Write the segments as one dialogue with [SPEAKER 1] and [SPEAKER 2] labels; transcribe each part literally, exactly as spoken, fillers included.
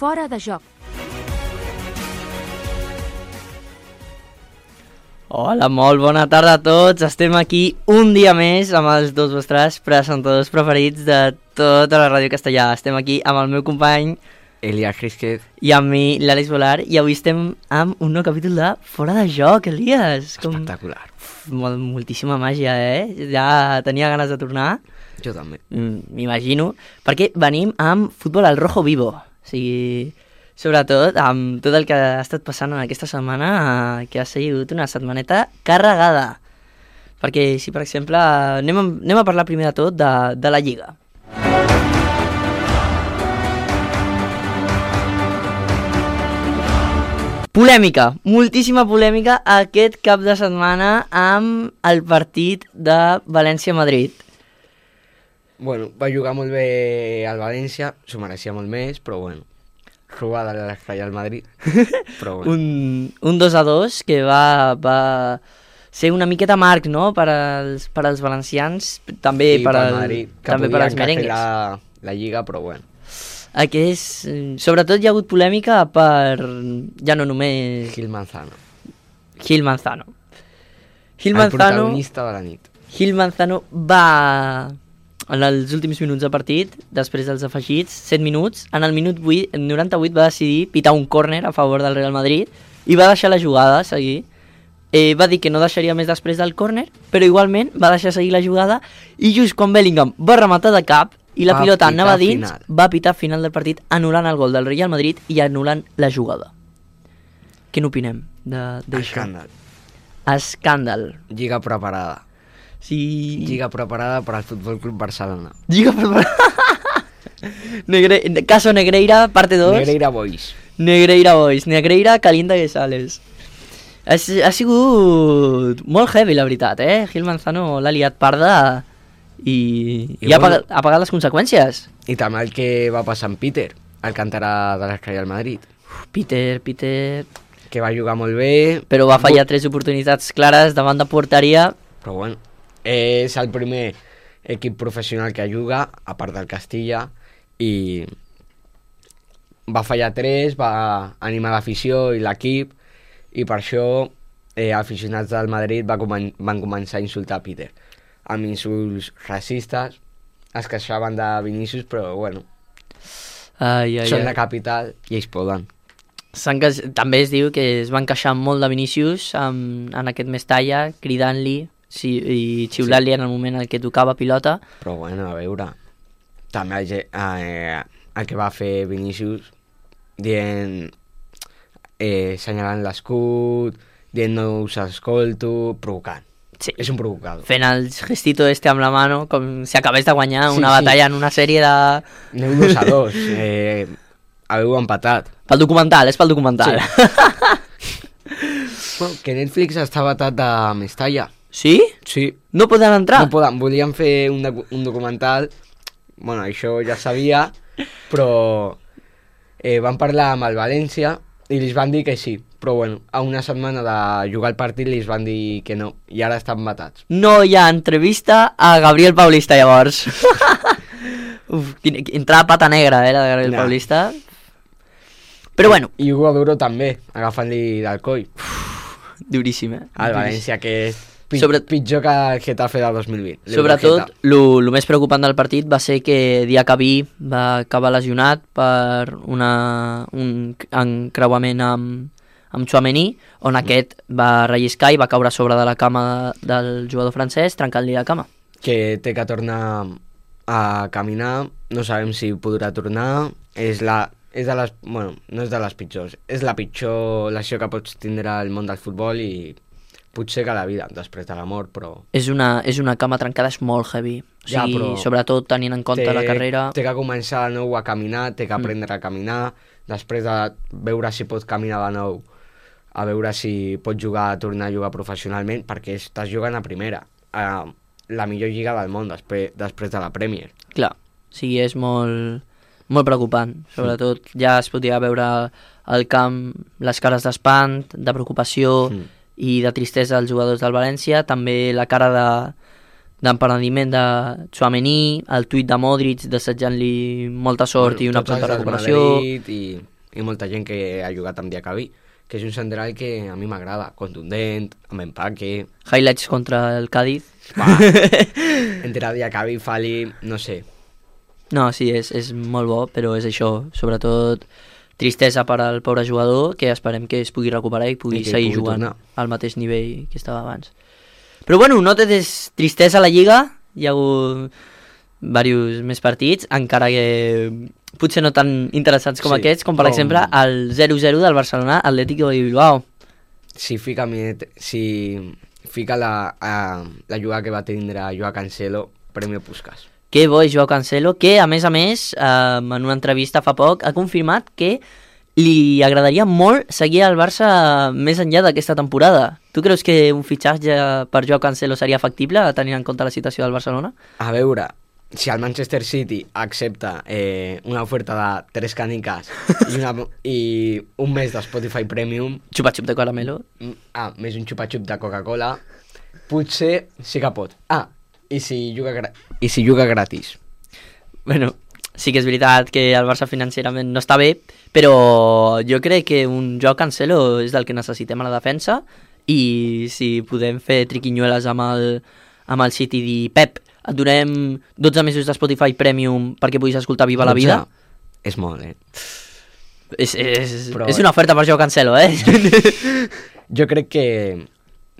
[SPEAKER 1] Fora de joc.
[SPEAKER 2] Hola, molt bona tarda a tots. Estem aquí un dia més amb els dos vostres presentadors preferits de tota la ràdio castellà. Estem aquí amb el meu company
[SPEAKER 3] Elias Gisquet
[SPEAKER 2] i amb mi, l'Àlex Volar, i avui estem amb un nou capítol de Fora de joc, Elias. Com...
[SPEAKER 3] espectacular.
[SPEAKER 2] Uf, mol, moltíssima màgia, eh? Ja tenia ganes de tornar.
[SPEAKER 3] Jo també.
[SPEAKER 2] M'imagino, perquè venim amb futbol al rojo vivo. O sigui, sobretot amb tot el que ha estat passant en aquesta setmana, que ha sigut una setmaneta carregada. Perquè si, per exemple, anem a, anem a parlar primer de tot de, de la Lliga. Polèmica, moltíssima polèmica aquest cap de setmana amb el partit de València-Madrid.
[SPEAKER 3] Bueno, va jugar molt bé al València, s'ho mereixia molt més, però bueno, robada a l'Escai al Madrid, però bueno.
[SPEAKER 2] un, un dos a dos que va, va ser una miqueta marc, no?, per als, per als valencians, també
[SPEAKER 3] sí,
[SPEAKER 2] per, al,
[SPEAKER 3] Madrid,
[SPEAKER 2] també per als merengues.
[SPEAKER 3] La, la Lliga, però bueno.
[SPEAKER 2] Aquest, sobretot hi ha hagut polèmica per, ja no només...
[SPEAKER 3] Gil Manzano.
[SPEAKER 2] Gil Manzano. Gil
[SPEAKER 3] el
[SPEAKER 2] Manzano,
[SPEAKER 3] protagonista de la nit.
[SPEAKER 2] Gil Manzano va, en els últims minuts de partit, després dels afegits, set minuts, en el minut vuit, en noranta-vuit va decidir pitar un córner a favor del Real Madrid i va deixar la jugada seguir. Eh, va dir que no deixaria més després del córner, però igualment va deixar seguir la jugada i just quan Bellingham va rematar de cap i la
[SPEAKER 3] va
[SPEAKER 2] pilota anava dins,
[SPEAKER 3] final.
[SPEAKER 2] va pitar final del partit anul·lant el gol del Real Madrid i anul·lant la jugada. Què n'opinem d'això?
[SPEAKER 3] Escàndal.
[SPEAKER 2] Escàndal.
[SPEAKER 3] Lliga preparada.
[SPEAKER 2] Sí.
[SPEAKER 3] Lliga preparada per al Futbol Club Barcelona.
[SPEAKER 2] Lliga preparada. Negre... Caso Negreira, parte dos.
[SPEAKER 3] Negreira Boys.
[SPEAKER 2] Negreira Boys. Negreira calienta que sales. Ha, ha sigut molt heavy, la veritat, eh? Gil Manzano l'ha liat parda i, I, i ha, pagat, ha pagat les conseqüències.
[SPEAKER 3] I també el que va passar amb Peter, el canterà de l'Escai al Madrid.
[SPEAKER 2] Uf, Peter, Peter...
[SPEAKER 3] Que va jugar molt bé.
[SPEAKER 2] Però va fallar tres oportunitats clares davant de porteria.
[SPEAKER 3] Però bueno, és el primer equip professional que juga, a part del Castilla, i va fallar tres, va animar l'afició i l'equip, i per això eh, aficionats del Madrid va comen van començar a insultar Peter amb insults racistes. Es queixaven de Vinícius, però bueno,
[SPEAKER 2] ai, ai,
[SPEAKER 3] són
[SPEAKER 2] ai.
[SPEAKER 3] la capital i ells poden.
[SPEAKER 2] Queix... També es diu que es van queixar molt de Vinícius en, en aquest Mestalla, cridant-li sí, i xiulant-li sí. En el moment en què tocava pilota.
[SPEAKER 3] Però bueno, a veure, també el, eh, el que va fer Vinícius dient, eh, senyalant l'escut, dient no us escolto, provocant.
[SPEAKER 2] Sí.
[SPEAKER 3] És un provocador.
[SPEAKER 2] Fent el gestito este amb la mano, com si acabés de guanyar
[SPEAKER 3] sí,
[SPEAKER 2] una
[SPEAKER 3] sí.
[SPEAKER 2] batalla en una sèrie de...
[SPEAKER 3] Aneu dos a dos, eh, haveu empatat.
[SPEAKER 2] Pel documental, és pel documental.
[SPEAKER 3] Sí. Bueno, que Netflix està batat de Mestalla.
[SPEAKER 2] Sí?
[SPEAKER 3] Sí.
[SPEAKER 2] No poden entrar?
[SPEAKER 3] No poden, volien fer un, un documental, bueno, això ja sabia, però eh, van parlar amb el València i li van dir que sí. Però bueno, a una setmana de jugar el partit li van dir que no, i ara estan matats.
[SPEAKER 2] No hi ha entrevista a Gabriel Paulista, llavors. Uf, entrava pata negra, eh, la de Gabriel no. Paulista. Però bueno.
[SPEAKER 3] I Hugo Duro també, agafant-li del coll.
[SPEAKER 2] Uf, duríssim, eh?
[SPEAKER 3] El València, que és pi
[SPEAKER 2] Sobre...
[SPEAKER 3] pitjor que el Getafe del dos mil vint.
[SPEAKER 2] Sobretot, el més preocupant del partit va ser que Diacabí va acabar lesionat per una, un encreuament amb, amb Tchouaméni, on aquest va relliscar i va caure a sobre de la cama de, del jugador francès, trencant-li la cama.
[SPEAKER 3] Que té que tornar a caminar, no sabem si podrà tornar, és la... És de les, bueno, no és de les pitjors, és la pitjor lesió que pots tindre al món del futbol i potser que la vida, després de la mort, però...
[SPEAKER 2] És una, és una cama trencada, és molt heavy. O sigui, ja, però sobretot tenint en compte
[SPEAKER 3] té,
[SPEAKER 2] la carrera...
[SPEAKER 3] Té que començar de nou a caminar, té que aprendre mm. a caminar, després de veure si pot caminar de nou, a veure si pot jugar, tornar a jugar professionalment, perquè estàs jugant a primera, a la millor lliga del món, després, després de la Premier.
[SPEAKER 2] Clar, o sigui, és molt... molt preocupant, sobretot mm. ja es podia veure al camp les cares d'espant, de preocupació mm. i de tristesa als jugadors del València, també la cara de d'empenediment de Tchouaméni, el tuit de Modric desitjant-li molta sort bueno, i una pronta recuperació.
[SPEAKER 3] I... i molta gent que ha jugat amb Diacabí, que és un central que a mi m'agrada, contundent, amb empaque...
[SPEAKER 2] Highlights contra el Cádiz.
[SPEAKER 3] Va, entre Diacabí i Fali, no sé.
[SPEAKER 2] No, sí, és, és molt bo, però és això, sobretot tristesa per al pobre jugador, que esperem que es pugui recuperar i pugui
[SPEAKER 3] I que
[SPEAKER 2] seguir
[SPEAKER 3] pugui
[SPEAKER 2] jugant
[SPEAKER 3] tornar.
[SPEAKER 2] al mateix nivell que estava abans. Però bueno, no té des- tristesa a la Lliga, hi ha hagut diversos més partits, encara que potser no tan interessants com
[SPEAKER 3] Sí,
[SPEAKER 2] aquests, com per
[SPEAKER 3] com-
[SPEAKER 2] exemple el zero zero del Barcelona Atlético de Bilbao.
[SPEAKER 3] Si fica, Miet- si fica la, a, la jugada que va tindre Joao Cancelo, Premi Puskas.
[SPEAKER 2] Que bo és Joao Cancelo, que a més a més, eh, en una entrevista fa poc, ha confirmat que li agradaria molt seguir al Barça més enllà d'aquesta temporada. Tu creus que un fitxatge per Joao Cancelo seria factible, tenint en compte la situació del Barcelona?
[SPEAKER 3] A veure, si el Manchester City accepta eh, una oferta de tres caniques i, una, i un mes de Spotify Premium,
[SPEAKER 2] Xupa-xup de caramelo.
[SPEAKER 3] mm, ah, més un xupa-xup de Coca-Cola, potser sí que pot. Ah, i si juga, gra i si juga gratis.
[SPEAKER 2] Bueno, sí que és veritat que el Barça financerament no està bé, però jo crec que un Joao Cancelo és del que necessitem a la defensa, i si podem fer triquinyueles amb el, amb el City i dir Pep, et donem dotze mesos de Spotify Premium perquè puguis escoltar Viva la Vida,
[SPEAKER 3] És molt, eh?
[SPEAKER 2] és, és,
[SPEAKER 3] Però-
[SPEAKER 2] és una oferta per Joao Cancelo, eh?
[SPEAKER 3] Jo crec que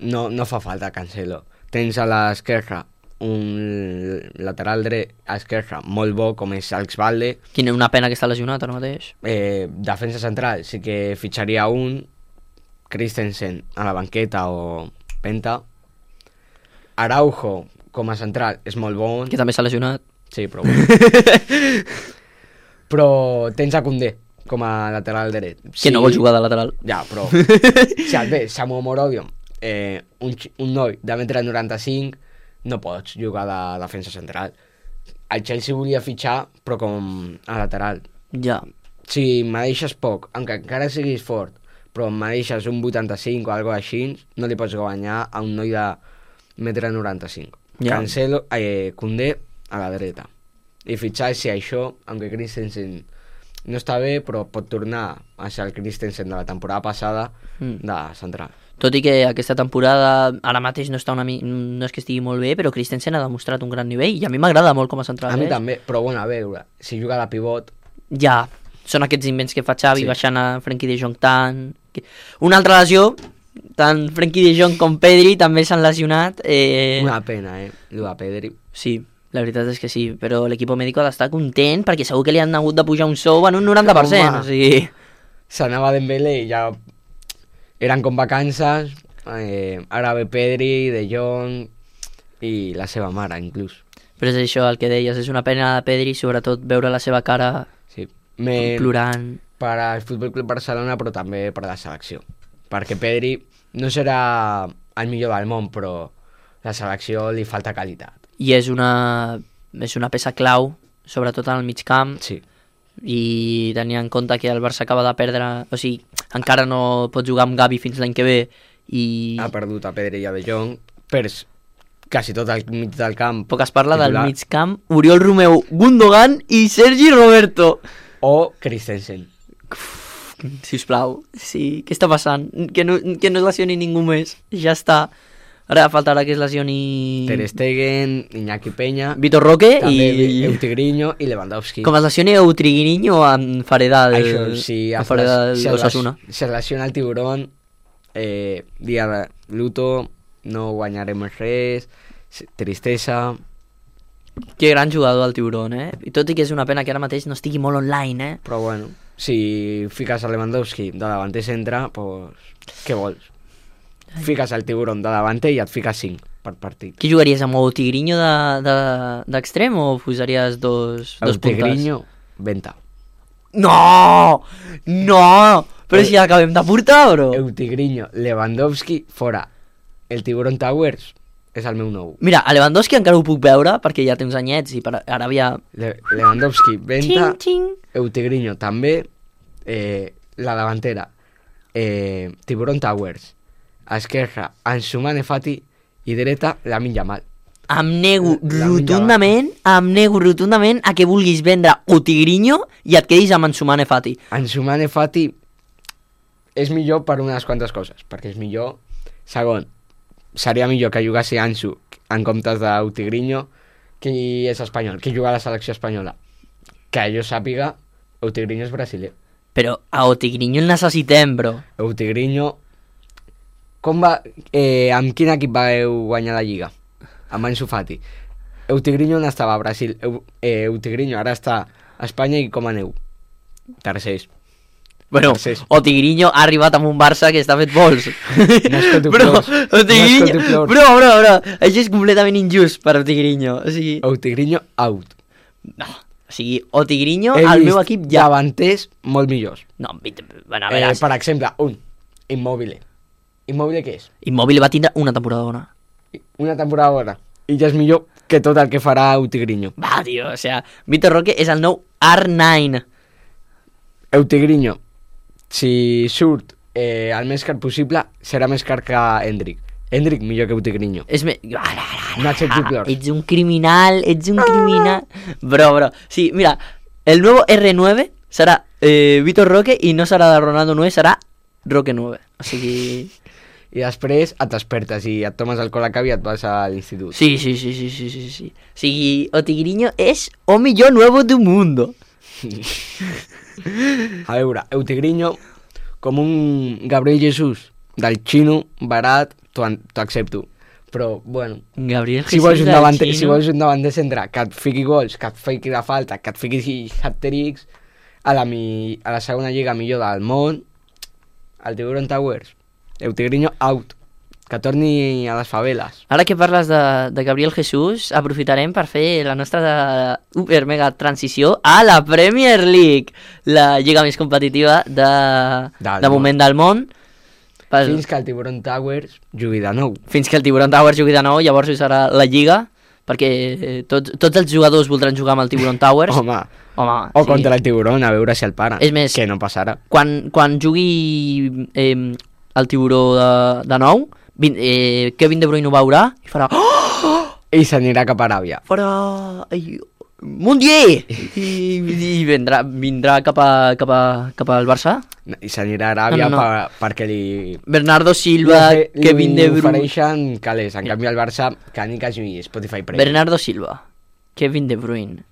[SPEAKER 3] no, no fa falta Cancelo. Tens a l'esquerra un lateral dret a esquerra molt bo com és Alex Valde.
[SPEAKER 2] Quina una pena que està lesionat ara mateix.
[SPEAKER 3] Eh, defensa central sí que fitxaria un, Christensen a la banqueta o Penta. Araujo com a central és molt bon.
[SPEAKER 2] Que també s'ha lesionat.
[SPEAKER 3] Sí, però bueno. Però tens a Koundé com a lateral dret.
[SPEAKER 2] Que no vol jugar de lateral.
[SPEAKER 3] Ja, però si et ve Samu Morodion, eh, un, xi- un noi de metre noranta-cinc, no pots jugar de defensa central. El Chelsea volia fitxar, però com a lateral.
[SPEAKER 2] Ja.
[SPEAKER 3] Si me deixes poc, encara, encara siguis fort, però me deixes un vuitanta-cinc o algo així, no li pots guanyar a un noi de metre noranta-cinc.
[SPEAKER 2] Ja.
[SPEAKER 3] Cancelo, eh, Koundé a la dreta. I fitxar si això, aunque Christensen no està bé, però pot tornar a ser el Christensen de la temporada passada
[SPEAKER 2] Mm.
[SPEAKER 3] de central.
[SPEAKER 2] Tot i que aquesta temporada ara mateix no està una mi... no és que estigui molt bé, però Christensen ha demostrat un gran nivell i a mi m'agrada molt com a central.
[SPEAKER 3] A mi
[SPEAKER 2] eh?
[SPEAKER 3] també, però bueno, a veure, si juga de pivot,
[SPEAKER 2] Ja, són aquests invents que fa Xavi,
[SPEAKER 3] Sí.
[SPEAKER 2] baixant a Frenkie de Jong tant... que- Una altra lesió, tant Frenkie de Jong com Pedri també s'han lesionat. Eh...
[SPEAKER 3] una pena, eh, lo de Pedri.
[SPEAKER 2] Sí, la veritat és que sí, però l'equip mèdic ha d'estar content perquè segur que li han hagut de pujar un sou en un noranta per cent.
[SPEAKER 3] Home.
[SPEAKER 2] O sigui...
[SPEAKER 3] S'anava Dembélé i ja eren com vacances, eh, ara ve Pedri, De Jong i la seva mare inclús.
[SPEAKER 2] Però és això el que deies, és una pena de Pedri, sobretot veure la seva cara
[SPEAKER 3] Sí. Me...
[SPEAKER 2] plorant.
[SPEAKER 3] Per al Futbol Club Barcelona, però també per a la selecció. Perquè Pedri no serà el millor del món, però la selecció li falta qualitat.
[SPEAKER 2] I és una, és una peça clau, sobretot en el mig camp,
[SPEAKER 3] Sí.
[SPEAKER 2] i tenint en compte que el Barça acaba de perdre, o sigui, encara no pot jugar amb Gavi fins l'any que ve, i
[SPEAKER 3] Ha perdut a Pedri i a De Jong, perds quasi tot el mig del camp.
[SPEAKER 2] poc es parla
[SPEAKER 3] titular.
[SPEAKER 2] del mig camp, Oriol Romeu, Gundogan i Sergi Roberto.
[SPEAKER 3] O Christensen.
[SPEAKER 2] Sisplau, sí, què està passant? Que no, que no es lesioni ningú més, ja està. Ara faltarà que es lesioni
[SPEAKER 3] Ter Stegen, Iñaki Peña,
[SPEAKER 2] Vitor Roque
[SPEAKER 3] també
[SPEAKER 2] i...
[SPEAKER 3] Eutigriño i Lewandowski.
[SPEAKER 2] Com es lesioni Eutriguinho en farà del,
[SPEAKER 3] Això, si
[SPEAKER 2] en
[SPEAKER 3] es,
[SPEAKER 2] farà
[SPEAKER 3] les-
[SPEAKER 2] del
[SPEAKER 3] si es,
[SPEAKER 2] Osasuna.
[SPEAKER 3] les- si es lesiona el tiburón, eh, dia de luto, no guanyarem res, s- tristesa.
[SPEAKER 2] Que gran jugador el Tiburón, eh? I tot i que és una pena que ara mateix no estigui molt online, eh?
[SPEAKER 3] Però bueno, si fiques a Lewandowski de davanter centre, pues, què vols? Fiques el tiburón de davanter i et fiques cinc per partit.
[SPEAKER 2] Qui jugaries amb Eutigriño d'extrem de, de, o posaries dos, dos puntes?
[SPEAKER 3] Eutigriño, venta.
[SPEAKER 2] No! No! Però si ja acabem de portar, bro!
[SPEAKER 3] Eutigriño, Lewandowski, fora. El tiburón Towers és el meu nou.
[SPEAKER 2] Mira, a Lewandowski encara ho puc veure perquè ja té uns anyets i per, ara havia...
[SPEAKER 3] Le Lewandowski, venta.
[SPEAKER 2] Xing, xing.
[SPEAKER 3] Eutigriño també, eh, la davantera, eh, Tiburón Towers, a esquerra, Ansu Mane Fati i dreta, Lamine Yamal.
[SPEAKER 2] em nego
[SPEAKER 3] La
[SPEAKER 2] rotundament, em nego rotundament a que vulguis vendre Otigrinho i et quedis amb Ansu Mane Fati.
[SPEAKER 3] Ansu Mane Fati és millor per unes quantes coses, perquè és millor. Segon, seria millor que jugasi Ansu en comptes d'Otigrinho, qui és espanyol, qui juga a la selecció espanyola. Que jo sàpiga, Otigrinho és brasiler.
[SPEAKER 2] Però a Otigrinho el necessitem, bro.
[SPEAKER 3] Otigrinho... Com va... Eh, amb quin equip vau guanyar la Lliga? Amb Ansu Fati. Otigrinho on estava? A Brasil. Eh, Otigrinho ara està a Espanya i com aneu? Tercers.
[SPEAKER 2] Bueno,
[SPEAKER 3] Tercers.
[SPEAKER 2] Otigrinho ha arribat amb un Barça que està fet vols.
[SPEAKER 3] No escolto
[SPEAKER 2] Bro,
[SPEAKER 3] plors.
[SPEAKER 2] Otigrinho...
[SPEAKER 3] No escolto plors.
[SPEAKER 2] Bro, bro, bro. Això és completament injust per Otigrinho. O sigui...
[SPEAKER 3] Otigrinho out.
[SPEAKER 2] No. O sigui, Otigrinho
[SPEAKER 3] He
[SPEAKER 2] al
[SPEAKER 3] vist
[SPEAKER 2] meu equip ja...
[SPEAKER 3] davanters molt millors.
[SPEAKER 2] No, bueno, a
[SPEAKER 3] Eh,
[SPEAKER 2] veure...
[SPEAKER 3] per exemple, un. Immobile. Immobile què és?
[SPEAKER 2] Immòbil va tindre una temporada bona.
[SPEAKER 3] Una temporada bona. I ja és millor que tot el que farà Otigrinho.
[SPEAKER 2] Va, tio, o sea, Vitor Roque és el nou R nueve.
[SPEAKER 3] Otigrinho, si surt eh, el més car possible, serà més car que Hendrik. Hendrik millor que Otigrinho.
[SPEAKER 2] És me...
[SPEAKER 3] No accepto plors.
[SPEAKER 2] Ets un criminal, ets un criminal... Bro, bro. Sí, mira, el nuevo R nueve serà eh, Vitor Roque i no serà de Ronaldo nueve, serà Roque nueve. O sigui...
[SPEAKER 3] I després et despertes i et tomes el colacao i et vas a l'institut.
[SPEAKER 2] Sí, sí, sí, sí, sí, sí, sí. O sigui, Otigrinho és o millor nuevo del mundo.
[SPEAKER 3] A veure, Otigrinho, com un Gabriel Jesús del xino, barat, t'ho accepto. Però, bueno,
[SPEAKER 2] Gabriel
[SPEAKER 3] si
[SPEAKER 2] Jesús
[SPEAKER 3] vols un
[SPEAKER 2] del
[SPEAKER 3] davanter,
[SPEAKER 2] Chino.
[SPEAKER 3] si vols un davanter centre que et fiqui gols, que et fiqui la falta, que et fiqui hat-tricks, a la, mi, a la segona lliga millor del món, el Tiburon Towers, Otigrinho out, que torni a les faveles.
[SPEAKER 2] Ara que parles de, de Gabriel Jesús, aprofitarem per fer la nostra de, super mega transició a la Premier League, la lliga més competitiva de,
[SPEAKER 3] Del
[SPEAKER 2] de
[SPEAKER 3] món.
[SPEAKER 2] moment del món. Pel,
[SPEAKER 3] Fins que el Tiburon Towers jugui de nou.
[SPEAKER 2] fins que el Tiburon Towers jugui de nou, llavors hi serà la lliga, perquè eh, tots, tots els jugadors voldran jugar amb el Tiburon Towers.
[SPEAKER 3] Home,
[SPEAKER 2] Home,
[SPEAKER 3] o
[SPEAKER 2] sí.
[SPEAKER 3] contra el Tiburon, a veure si el paren.
[SPEAKER 2] És més-
[SPEAKER 3] que no passarà.
[SPEAKER 2] Quan, quan jugui eh, el Tiburó de, de nou, vin, eh, Kevin De Bruyne ho veurà i farà... Oh!
[SPEAKER 3] I s'anirà cap a Aràbia.
[SPEAKER 2] farà... Ai, Mundier! I, i vindrà, vindrà cap, a, cap, a, cap al Barça.
[SPEAKER 3] I s'anirà a Aràbia
[SPEAKER 2] No, no, no.
[SPEAKER 3] Per, perquè li...
[SPEAKER 2] Bernardo Silva,
[SPEAKER 3] li,
[SPEAKER 2] Kevin De
[SPEAKER 3] li
[SPEAKER 2] Bruyne...
[SPEAKER 3] ofereixen calés. En canvi, el Barça, que ni que jugui Spotify Premium.
[SPEAKER 2] Bernardo Silva, Kevin De Bruyne,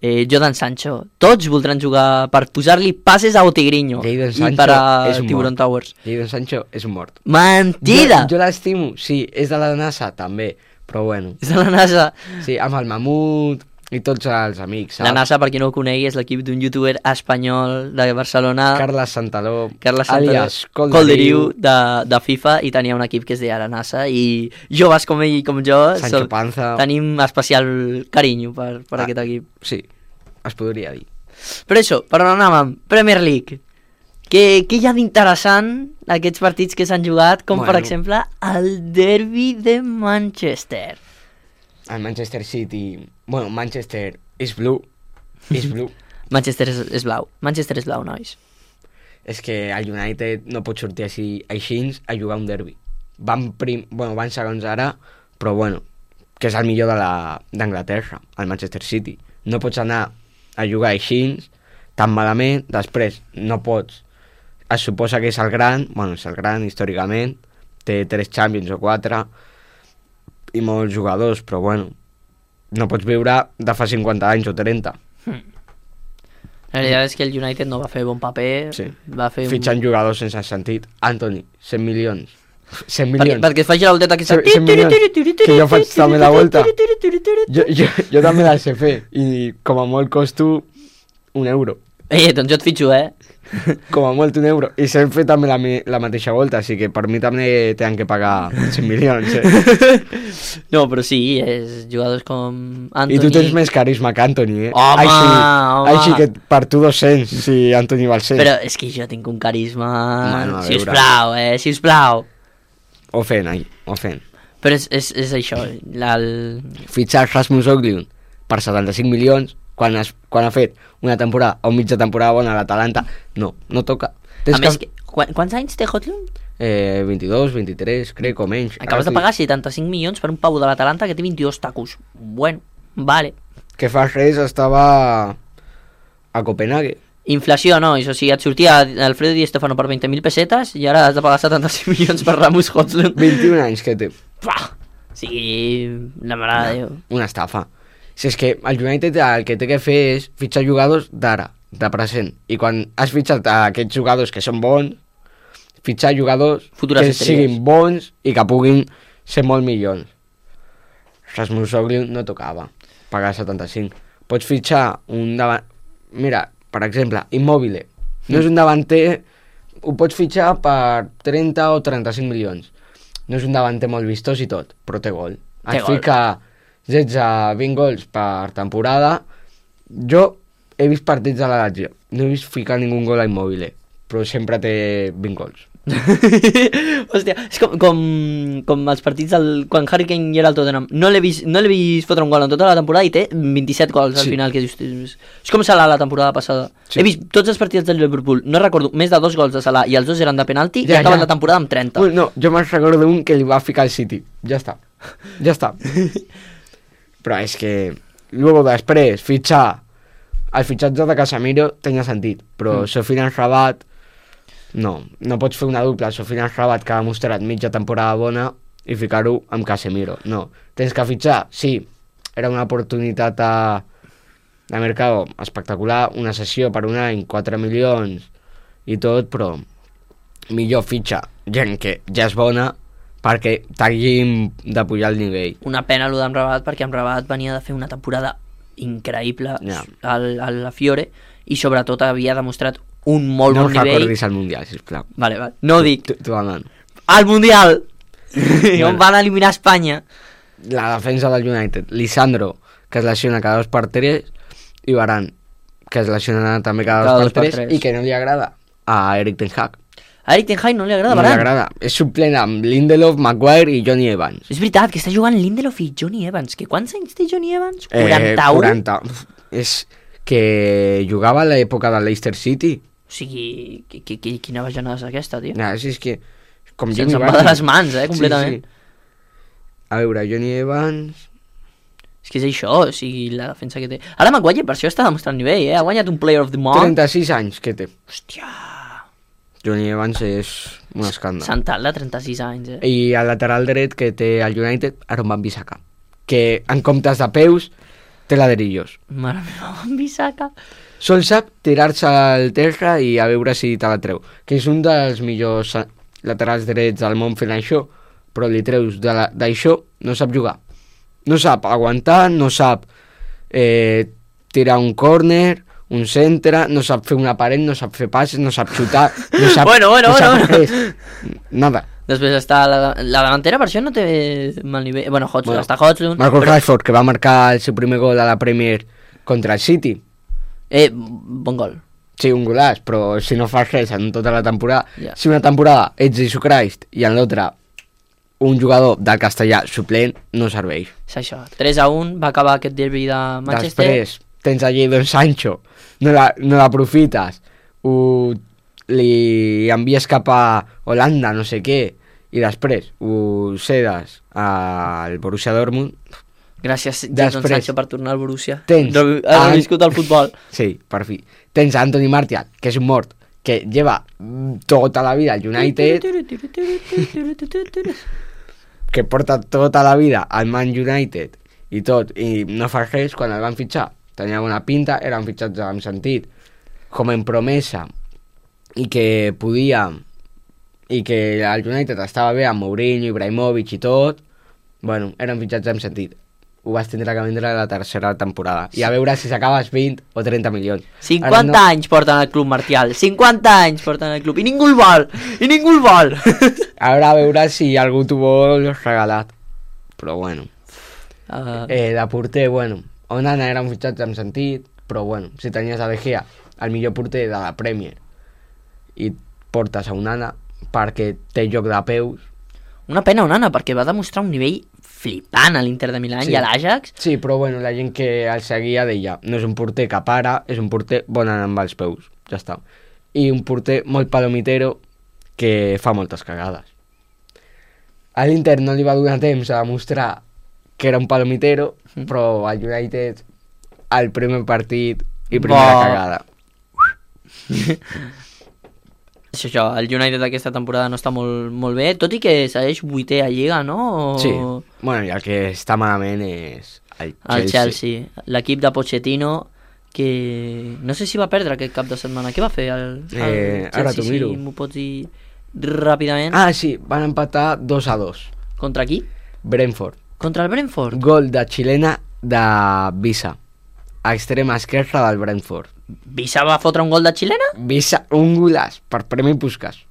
[SPEAKER 2] eh, Jordan Sancho, tots voldran jugar per posar-li passes a Otigrinho
[SPEAKER 3] Jadon
[SPEAKER 2] i
[SPEAKER 3] Sancho
[SPEAKER 2] per a
[SPEAKER 3] és un
[SPEAKER 2] Tiburon
[SPEAKER 3] mort.
[SPEAKER 2] Towers.
[SPEAKER 3] Jadon Sancho és un mort.
[SPEAKER 2] Mentida!
[SPEAKER 3] Jo, jo l'estimo, sí, és de la NASA, també, però bueno.
[SPEAKER 2] És de la NASA.
[SPEAKER 3] Sí, amb el Mamut i tots els amics, saps?
[SPEAKER 2] La NASA, per qui no ho conegui, és l'equip d'un youtuber espanyol de Barcelona,
[SPEAKER 3] Carles Santaló,
[SPEAKER 2] Carles Santaló,
[SPEAKER 3] alias
[SPEAKER 2] Colderiu,
[SPEAKER 3] Colderiu,
[SPEAKER 2] de, de FIFA, i tenia un equip que es deia la NASA, i joves com ell i com jo
[SPEAKER 3] Sancho
[SPEAKER 2] som-
[SPEAKER 3] Panza.
[SPEAKER 2] tenim especial carinyo per, per
[SPEAKER 3] Ah.
[SPEAKER 2] aquest equip.
[SPEAKER 3] Sí, es podria dir.
[SPEAKER 2] Però això, per on anàvem? Premier League. Què, què hi ha d'interessant aquests partits que s'han jugat, com
[SPEAKER 3] Bueno.
[SPEAKER 2] per exemple el derbi de Manchester?
[SPEAKER 3] El Manchester City... Bueno, Manchester és blue. És blue.
[SPEAKER 2] Manchester és, és blau. Manchester és blau, nois.
[SPEAKER 3] És que el United no pot sortir així, així a jugar un derbi. Van, prim, bueno, van segons ara, però bueno, que és el millor de la- d'Anglaterra, el Manchester City. No pots anar a jugar així tan malament, després no pots... Es suposa que és el gran, bueno, és el gran històricament, té tres Champions o quatre, i molts jugadors, però bueno, no pots viure de fa cinquanta anys o trenta.
[SPEAKER 2] La veritat és que el United no va fer bon paper.
[SPEAKER 3] Sí.
[SPEAKER 2] Va fer
[SPEAKER 3] Fitxant
[SPEAKER 2] un...
[SPEAKER 3] jugadors sense sentit. Anthony, cent milions. cent
[SPEAKER 2] Perquè,
[SPEAKER 3] milions.
[SPEAKER 2] perquè es faci la volteta aquesta...
[SPEAKER 3] cent milions, que jo faig també la volta. Jo, jo, jo també la sé fer i com a molt costo un euro.
[SPEAKER 2] Eh, doncs jo et fitxo, eh?
[SPEAKER 3] Com a molt un euro. I sé fer també la, mi- la mateixa volta, així que per mi també tenen que pagar cent milions. Eh?
[SPEAKER 2] No, però sí, és jugadors com Anthony...
[SPEAKER 3] I tu tens més carisma que Anthony, eh?
[SPEAKER 2] Home,
[SPEAKER 3] així,
[SPEAKER 2] home.
[SPEAKER 3] així que per tu dos-cents, si Anthony val cent.
[SPEAKER 2] Però és que jo tinc un carisma...
[SPEAKER 3] Bueno, a veure.
[SPEAKER 2] Sisplau, eh? Sisplau.
[SPEAKER 3] O fent, ai, o fent.
[SPEAKER 2] Però és, és, és això, la, el...
[SPEAKER 3] Fitxar Rasmus Højlund per setanta-cinc milions quan, has, quan ha fet una temporada o mitja temporada bona a l'Atalanta, no, no toca.
[SPEAKER 2] A més,
[SPEAKER 3] que...
[SPEAKER 2] que Qu quants anys té Højlund?
[SPEAKER 3] Eh, vint-i-dos, vint-i-tres, crec, o menys.
[SPEAKER 2] Acabes
[SPEAKER 3] Ara
[SPEAKER 2] de pagar setanta-cinc milions per un pavo de l'Atalanta que té vint-i-dos tacos. Bueno, vale.
[SPEAKER 3] Que fa res estava a Copenhague.
[SPEAKER 2] Inflació, no, això sí, et sortia Alfredo Di Stefano per veinte mil pessetes i ara has de pagar setanta-cinc milions per Rasmus Højlund.
[SPEAKER 3] vint-i-un anys que té.
[SPEAKER 2] Pah! Sí, la mare de Déu.
[SPEAKER 3] Una estafa. Si és que el United el que té que fer és fitxar jugadors d'ara, de present. I quan has fitxat a aquests jugadors que són bons, fitxar jugadors
[SPEAKER 2] Futures
[SPEAKER 3] que
[SPEAKER 2] estrelles.
[SPEAKER 3] siguin bons i que puguin ser molt millors. Rasmus Højlund no tocava pagar setanta-cinc. Pots fitxar un davant... Mira, per exemple, Immobile. No és un davanter... Ho pots fitxar per trenta o trenta-cinc milions. No és un davanter molt vistós i tot, però té gol.
[SPEAKER 2] Té
[SPEAKER 3] Et
[SPEAKER 2] gol.
[SPEAKER 3] fica setze vint gols per temporada. Jo he vist partits de la Lazio. No he vist ficar ningú gol a Immobile, però sempre té vint gols.
[SPEAKER 2] Hòstia, és com, com, com els partits del, quan Harry Kane hi era al Tottenham. No l'he vist, no l'he vist fotre un gol en tota la temporada i té vint-i-set gols al
[SPEAKER 3] Sí.
[SPEAKER 2] final. Que dius, és, és com Salah la temporada passada.
[SPEAKER 3] Sí.
[SPEAKER 2] He vist tots els partits del Liverpool, no recordo, més de dos gols de Salah i els dos eren de penalti
[SPEAKER 3] Ja,
[SPEAKER 2] i acaben
[SPEAKER 3] ja.
[SPEAKER 2] la temporada amb trenta.
[SPEAKER 3] Bueno, no, jo me'n recordo un que li va ficar al City. Ja està. Ja està. Però és que... Luego després, fitxar... El fitxatge de Casemiro tenia sentit, però mm. Sofiane Rabat... No, no pots fer una dupla Sofiane Rabat que ha demostrat mitja temporada bona i ficar-ho amb Casemiro. No, tens que fitxar, sí, era una oportunitat a... de mercado espectacular, una sessió per un any, quatre milions i tot, però millor fitxa gent que ja és bona perquè t'hagin de pujar el nivell.
[SPEAKER 2] Una pena allò d'Amrabat, perquè Amrabat venia de fer una temporada increïble
[SPEAKER 3] Ja.
[SPEAKER 2] al, a la Fiore i sobretot havia demostrat un molt
[SPEAKER 3] No
[SPEAKER 2] bon nivell.
[SPEAKER 3] recordis el Mundial, sisplau.
[SPEAKER 2] Vale, vale. No ho dic.
[SPEAKER 3] Tu, tu demano.
[SPEAKER 2] Al Mundial!
[SPEAKER 3] Bueno.
[SPEAKER 2] On van eliminar Espanya.
[SPEAKER 3] La defensa del United, Lisandro, que es lesiona cada dos per tres, i Varane, que es lesiona també cada,
[SPEAKER 2] Cada
[SPEAKER 3] dos,
[SPEAKER 2] dos
[SPEAKER 3] per
[SPEAKER 2] per
[SPEAKER 3] tres,
[SPEAKER 2] tres.
[SPEAKER 3] i que no li agrada a Eric Ten Hag.
[SPEAKER 2] A Eric Ten Hag no li agrada
[SPEAKER 3] No li
[SPEAKER 2] Varane.
[SPEAKER 3] agrada. És suplent amb Lindelof, Maguire i Johnny Evans.
[SPEAKER 2] És veritat que està jugant Lindelof i Johnny Evans. Que quants anys té Johnny Evans?
[SPEAKER 3] Eh,
[SPEAKER 2] quaranta-u?
[SPEAKER 3] quaranta. És que jugava a l'època del Leicester City.
[SPEAKER 2] O sigui, qui, qui, qui, quina bajanada és aquesta, tio?
[SPEAKER 3] Ja, és que... Com
[SPEAKER 2] Se'ns
[SPEAKER 3] Jimmy
[SPEAKER 2] en va de
[SPEAKER 3] Vardy.
[SPEAKER 2] les mans, eh, completament.
[SPEAKER 3] Sí, sí. A veure, Johnny Evans...
[SPEAKER 2] És que és això, o sigui, la defensa que té. Ara Maguire per això està demostrant nivell, eh? Ha guanyat un Player of the Month.
[SPEAKER 3] trenta-sis anys que té.
[SPEAKER 2] Hòstia,
[SPEAKER 3] Johnny Evans és un escàndol.
[SPEAKER 2] Santal de trenta-sis anys, eh?
[SPEAKER 3] I el lateral dret que té el United, Aaron Wan-Bissaka, que en comptes de peus té ladrillos.
[SPEAKER 2] Mare meva, Wan-Bissaka.
[SPEAKER 3] Sol sap tirar-se al terra i a veure si te la treu, que és un dels millors laterals drets del món fent això, però li treus de la- d'això, no sap jugar. No sap aguantar, no sap eh, tirar un córner, un centre, no sap fer una paret, no sap fer passes, no sap xutar, no sap,
[SPEAKER 2] Bueno, bueno,
[SPEAKER 3] no sap
[SPEAKER 2] bueno.
[SPEAKER 3] res. Nada.
[SPEAKER 2] Després està la, la davantera, per això no té mal nivell. Bueno, Hodgson,
[SPEAKER 3] Bueno,
[SPEAKER 2] està Hodgson.
[SPEAKER 3] Marcus
[SPEAKER 2] però-
[SPEAKER 3] Rashford, que va marcar el seu primer gol a la Premier contra el City.
[SPEAKER 2] Eh, bon gol.
[SPEAKER 3] Sí, un golaç, però si no fas res en tota la temporada...
[SPEAKER 2] Ja.
[SPEAKER 3] Si una temporada ets Jesus Christ i en l'altra un jugador del castellà suplent, no serveix.
[SPEAKER 2] És això. tres a un va acabar aquest derbi de Manchester.
[SPEAKER 3] Després tens allí Don Sancho, no la- no l'aprofites, ho li envies cap a Holanda, no sé què, i després ho cedes al Borussia Dortmund.
[SPEAKER 2] Gràcies, Jadon
[SPEAKER 3] Després
[SPEAKER 2] Sancho, per tornar al Borussia.
[SPEAKER 3] tens
[SPEAKER 2] Re- Ha
[SPEAKER 3] a-
[SPEAKER 2] reviscut el futbol.
[SPEAKER 3] Sí, per fi. Tens a Anthony Martial, que és un mort, que lleva mm, tota la vida al United, que porta tota la vida al Man United i tot, i no fa res quan el van fitxar. Tenia bona pinta, era un fitxatge amb sentit, com en promesa, i que podia, i que el United estava bé amb Mourinho, Ibrahimovic i tot. Bueno, era un fitxatge amb sentit. Ho vas tindre que vendre a la tercera temporada. I a veure si s'acabes vint o trenta milions.
[SPEAKER 2] cinquanta
[SPEAKER 3] Ara no-
[SPEAKER 2] anys porten al club Martial. cinquanta anys porten al club. I ningú el vol. I ningú el vol.
[SPEAKER 3] Ara a veure si algú t'ho vol regalat. Però bueno.
[SPEAKER 2] Uh,
[SPEAKER 3] Eh, de porter, bueno, Onana era un fitxatge amb sentit, però bueno, si tenies a De Gea, el millor porter de la Premier, i portes a Onana perquè té joc de peus.
[SPEAKER 2] una pena Onana, perquè va demostrar un nivell flipant a l'Inter de Milà
[SPEAKER 3] Sí.
[SPEAKER 2] i a l'Ajax.
[SPEAKER 3] Sí, però bueno, la gent que el seguia deia, no és un porter que para, és un porter bon amb els peus, ja està. I un porter molt palomitero, que fa moltes cagades. A l'Inter no li va donar temps a demostrar que era un palomitero, mm. però al United el primer partit i primera
[SPEAKER 2] Bo.
[SPEAKER 3] cagada.
[SPEAKER 2] Això, això, el United aquesta temporada no està molt, molt bé, tot i que segueix vuitè a Lliga, no? O...
[SPEAKER 3] Sí, bueno, i el que està malament és el Chelsea.
[SPEAKER 2] El Chelsea, l'equip de Pochettino, que no sé si va perdre aquest cap de setmana. Què va fer el, el
[SPEAKER 3] Eh,
[SPEAKER 2] Chelsea?
[SPEAKER 3] ara t'ho miro.
[SPEAKER 2] Si m'ho pots dir ràpidament.
[SPEAKER 3] Ah, sí, van empatar dos a dos.
[SPEAKER 2] Contra qui?
[SPEAKER 3] Brentford.
[SPEAKER 2] Contra el Brentford.
[SPEAKER 3] Gol de xilena de Visa, a extrema esquerra del Brentford.
[SPEAKER 2] Visa va fotre un gol de xilena?
[SPEAKER 3] Visa, un golaç per Premi Puskás.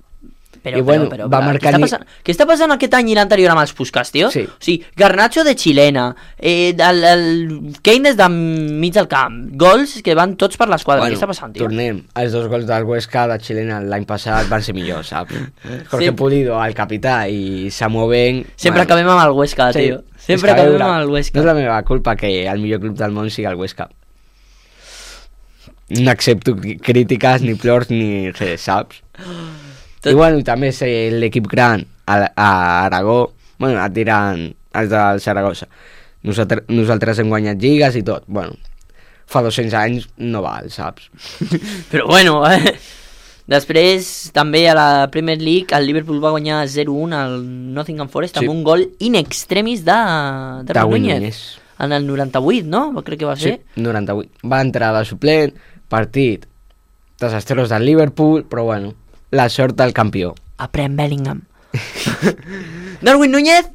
[SPEAKER 2] Però,
[SPEAKER 3] I bueno,
[SPEAKER 2] però, però,
[SPEAKER 3] va
[SPEAKER 2] però,
[SPEAKER 3] marcar
[SPEAKER 2] què, està
[SPEAKER 3] ni-
[SPEAKER 2] passant, què està passant aquest any i l'anterior amb els Puskás, tio?
[SPEAKER 3] Sí.
[SPEAKER 2] O sigui, Garnacho de xilena, eh, el, el Kane des de mig del camp, gols que van tots per l'esquadra. Què està passant, tio?
[SPEAKER 3] Tornem. Els dos gols del Huesca de xilena l'any passat van ser millors, saps? Jorge
[SPEAKER 2] Sí.
[SPEAKER 3] Pulido, el capità, i Samu Ben...
[SPEAKER 2] Sempre acabem amb el Huesca, tio.
[SPEAKER 3] és
[SPEAKER 2] Sempre
[SPEAKER 3] que a
[SPEAKER 2] acabem
[SPEAKER 3] veure,
[SPEAKER 2] amb el Huesca.
[SPEAKER 3] No és la meva culpa que el millor club del món sigui el Huesca. No accepto cri- crítiques, ni plors, ni res, saps?
[SPEAKER 2] Tot-
[SPEAKER 3] I bueno, també és eh, l'equip gran a, a Aragó, bueno, et diran els del Saragossa. Nosaltres, nosaltres hem guanyat lligues i tot. Bueno, fa dos-cents anys no val, saps?
[SPEAKER 2] Però bueno, eh? Després també a la Premier League el Liverpool va guanyar zero un al Nottingham Forest
[SPEAKER 3] Sí.
[SPEAKER 2] amb un gol in extremis de
[SPEAKER 3] Darwin
[SPEAKER 2] Darwin Núñez.
[SPEAKER 3] Núñez.
[SPEAKER 2] En el noranta-vuit, no? Crec que va
[SPEAKER 3] Sí,
[SPEAKER 2] ser.
[SPEAKER 3] noranta-vuit. Va entrar de suplent, partit desastrós del Liverpool, però bueno, la sort del campió.
[SPEAKER 2] Aprèn Bellingham. Darwin Núñez,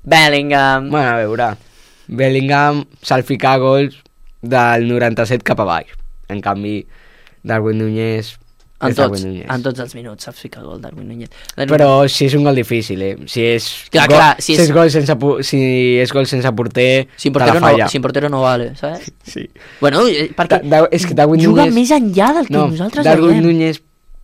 [SPEAKER 2] Bellingham.
[SPEAKER 3] Bueno, a veure, Bellingham se'l fica gols del noranta-set cap a baix. En canvi, Darwin Núñez
[SPEAKER 2] En
[SPEAKER 3] és
[SPEAKER 2] tots,
[SPEAKER 3] Darwin Núñez.
[SPEAKER 2] en tots els minuts saps ficar gol Darwin Núñez. Darwin...
[SPEAKER 3] Però si és un gol difícil, eh? Si és,
[SPEAKER 2] Clar,
[SPEAKER 3] gol,
[SPEAKER 2] clar, si
[SPEAKER 3] si
[SPEAKER 2] és-
[SPEAKER 3] és... gol sense, pu- si és gol sense porter,
[SPEAKER 2] sin
[SPEAKER 3] te
[SPEAKER 2] portero,
[SPEAKER 3] la
[SPEAKER 2] no,
[SPEAKER 3] falla.
[SPEAKER 2] sin portero no vale, ¿sabes?
[SPEAKER 3] Sí.
[SPEAKER 2] Bueno, eh, perquè
[SPEAKER 3] Da- da- és que Darwin
[SPEAKER 2] juga
[SPEAKER 3] Núñez-
[SPEAKER 2] més enllà del que
[SPEAKER 3] No,
[SPEAKER 2] nosaltres
[SPEAKER 3] Darwin
[SPEAKER 2] veiem.
[SPEAKER 3] Núñez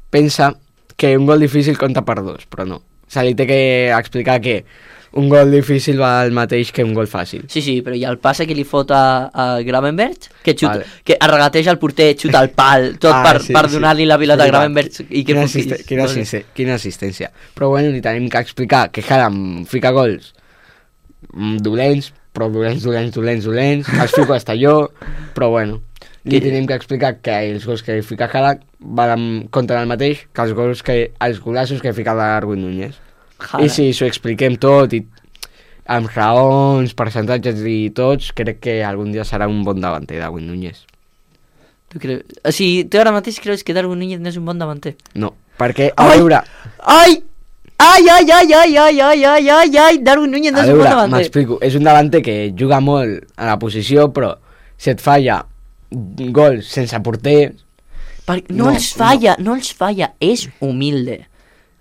[SPEAKER 3] pensa que un gol difícil compta per dos, però no. Se li té que explicar que un gol difícil va el mateix que un gol fàcil.
[SPEAKER 2] Sí, sí, però hi ha el passe que li fot a, a Gravenberch, que, xuta,
[SPEAKER 3] Vale.
[SPEAKER 2] que arregateja el porter, xuta el pal, tot
[SPEAKER 3] Ah,
[SPEAKER 2] per,
[SPEAKER 3] sí,
[SPEAKER 2] per
[SPEAKER 3] sí.
[SPEAKER 2] donar-li la pilota a
[SPEAKER 3] Veritat.
[SPEAKER 2] Gravenberch. I que
[SPEAKER 3] quina,
[SPEAKER 2] foti-
[SPEAKER 3] assiste, quina,
[SPEAKER 2] doncs-
[SPEAKER 3] assiste, quina assistència. Però bueno, li tenim que explicar que Haaland fica gols mm, dolents, però dolents, dolents, dolents, dolents, els fico hasta jo, però bueno, li
[SPEAKER 2] Que-
[SPEAKER 3] tenim que explicar que els gols que fica Haaland van en contra del mateix que els gols que, els golassos que fica Darwin Núñez.
[SPEAKER 2] Haaland.
[SPEAKER 3] I si s'ho expliquem tot i amb raons, percentatges i tots, crec que algun dia serà un bon davanter Darwin Núñez.
[SPEAKER 2] Tu creus... O sigui, tu ara mateix creus que Darwin Núñez no és un bon davanter?
[SPEAKER 3] No, perquè, a
[SPEAKER 2] Ai!
[SPEAKER 3] veure,
[SPEAKER 2] Ai! Ai, ai, ai, ai, ai, ai, ai, ai, ai, Darwin Núñez no
[SPEAKER 3] a
[SPEAKER 2] és un bon
[SPEAKER 3] veure,
[SPEAKER 2] davanter.
[SPEAKER 3] m'explico, és un davanter que juga molt a la posició, però si et falla gols sense porter,
[SPEAKER 2] Perquè no,
[SPEAKER 3] No,
[SPEAKER 2] els falla, no. els falla, és humilde.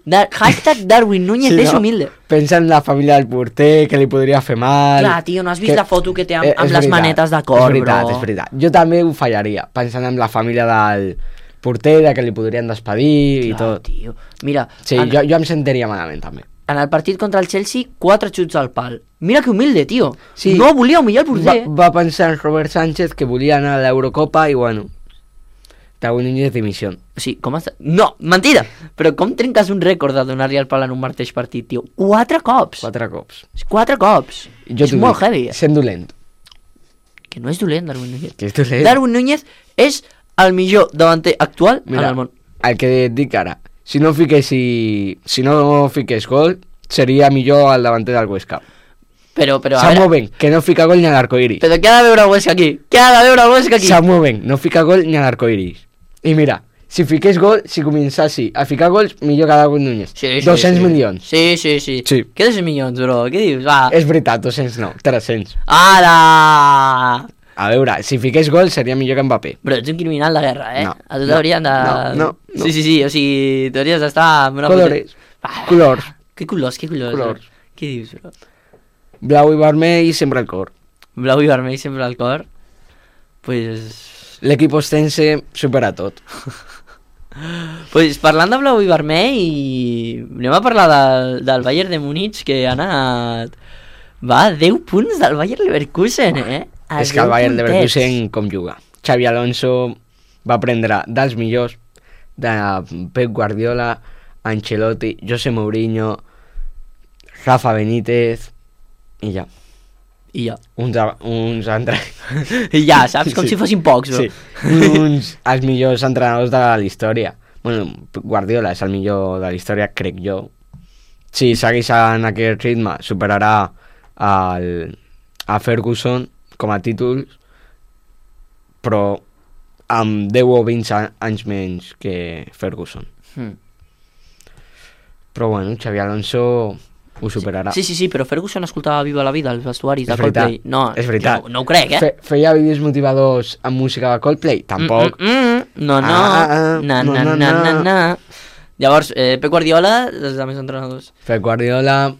[SPEAKER 2] Da hashtag Darwin Núñez
[SPEAKER 3] sí,
[SPEAKER 2] és
[SPEAKER 3] no?
[SPEAKER 2] humilde.
[SPEAKER 3] Pensa en la família del porter, que li podria fer mal...
[SPEAKER 2] Clar, tio, no has vist
[SPEAKER 3] que-
[SPEAKER 2] la foto que té amb,
[SPEAKER 3] Eh,
[SPEAKER 2] amb
[SPEAKER 3] és
[SPEAKER 2] les
[SPEAKER 3] veritat,
[SPEAKER 2] manetes de cor,
[SPEAKER 3] És veritat,
[SPEAKER 2] bro.
[SPEAKER 3] és veritat. Jo també ho fallaria, pensant en la família del porter, de que li podrien despedir i
[SPEAKER 2] Clar,
[SPEAKER 3] tot.
[SPEAKER 2] tio. Mira,
[SPEAKER 3] Sí,
[SPEAKER 2] en,
[SPEAKER 3] jo, jo em sentiria malament també.
[SPEAKER 2] en el partit contra el Chelsea, quatre xuts al pal. Mira que humilde, tio.
[SPEAKER 3] Sí.
[SPEAKER 2] No volia humillar el
[SPEAKER 3] Va,
[SPEAKER 2] porter.
[SPEAKER 3] va pensar en Robert Sánchez, que volia anar a l'Eurocopa i bueno, Darwin Núñez dimissió.
[SPEAKER 2] O sigui, com està... No, mentida! Però com trenques un rècord de donar-li el pal en un mateix partit, tio? Quatre cops!
[SPEAKER 3] Quatre cops.
[SPEAKER 2] Quatre cops!
[SPEAKER 3] Jo
[SPEAKER 2] és
[SPEAKER 3] t'ho
[SPEAKER 2] molt
[SPEAKER 3] dic,
[SPEAKER 2] heavy. eh?
[SPEAKER 3] Sent dolent.
[SPEAKER 2] Que no és dolent, Darwin Núñez.
[SPEAKER 3] Que és dolent.
[SPEAKER 2] Darwin Núñez és el millor davanter actual
[SPEAKER 3] Mira,
[SPEAKER 2] en el món.
[SPEAKER 3] el que et dic ara, si no fiquessi, si no fiqués gol, seria millor el davanter del Huesca.
[SPEAKER 2] Però, però, a
[SPEAKER 3] Samu
[SPEAKER 2] veure...
[SPEAKER 3] Ben, que no fica gol ni a l'arcoiris.
[SPEAKER 2] Però què ha de veure el Huesca aquí? Què ha de veure el Huesca aquí?
[SPEAKER 3] Samu Ben, no fica gol ni a l'arcoiris. I mira, si fiqués gol, si començassi a ficar gols, millor que Darwin Núñez.
[SPEAKER 2] Sí, sí,
[SPEAKER 3] dos-cents
[SPEAKER 2] sí.
[SPEAKER 3] milions.
[SPEAKER 2] Sí, sí, sí.
[SPEAKER 3] Sí.
[SPEAKER 2] Què dos milions, bro? Què dius? Va.
[SPEAKER 3] És veritat, dos-cents no, tres-cents.
[SPEAKER 2] Ara!
[SPEAKER 3] A veure, si fiqués gol seria millor que Mbappé.
[SPEAKER 2] Bro, ets un criminal de guerra, eh?
[SPEAKER 3] No,
[SPEAKER 2] A tu
[SPEAKER 3] no,
[SPEAKER 2] t'haurien de...
[SPEAKER 3] no, no, no.
[SPEAKER 2] Sí, sí, sí, o sigui, t'hauries d'estar... amb una
[SPEAKER 3] Colores,
[SPEAKER 2] puta- Ah,
[SPEAKER 3] colors,
[SPEAKER 2] Què colors, què colors?
[SPEAKER 3] Colors.
[SPEAKER 2] Bro? Què dius, bro?
[SPEAKER 3] blau i vermell i sempre el cor.
[SPEAKER 2] Blau i vermell sempre al cor? Pues...
[SPEAKER 3] L'equip ostense supera tot.
[SPEAKER 2] Pues parlant de blau i vermell, i... anem a parlar del, del Bayern de Múnich, que ha anat... Va, deu punts del Bayern Leverkusen, eh? A
[SPEAKER 3] És que el
[SPEAKER 2] deu
[SPEAKER 3] Bayern
[SPEAKER 2] puntets.
[SPEAKER 3] Leverkusen com juga. Xavi Alonso va prendre dels millors de Pep Guardiola Ancelotti, José Mourinho, Rafa Benítez i ja.
[SPEAKER 2] I ja.
[SPEAKER 3] Uns, uns entre...
[SPEAKER 2] I ja, saps? Com
[SPEAKER 3] Sí.
[SPEAKER 2] si fossin pocs, bro.
[SPEAKER 3] Sí. Uns els millors entrenadors de la història. Bueno, Guardiola és el millor de la història, crec jo. Si segueix en aquest ritme, superarà el, a Ferguson com a títols, però amb deu o vint anys menys que Ferguson.
[SPEAKER 2] Mm.
[SPEAKER 3] Però bueno, Xavi Alonso ho superarà.
[SPEAKER 2] Sí, sí, sí, però Ferguson escoltava Viva la Vida als vestuaris de
[SPEAKER 3] És veritat,
[SPEAKER 2] Coldplay. No,
[SPEAKER 3] és veritat.
[SPEAKER 2] No, no ho crec, eh?
[SPEAKER 3] Fe, feia vídeos motivadors amb música de Coldplay? Tampoc.
[SPEAKER 2] Mm, mm, mm. No, no,
[SPEAKER 3] Ah, ah, ah.
[SPEAKER 2] na,
[SPEAKER 3] No,
[SPEAKER 2] na,
[SPEAKER 3] no,
[SPEAKER 2] na,
[SPEAKER 3] no.
[SPEAKER 2] na, na. Llavors, eh, Pep Guardiola, els altres entrenadors.
[SPEAKER 3] Pep Guardiola,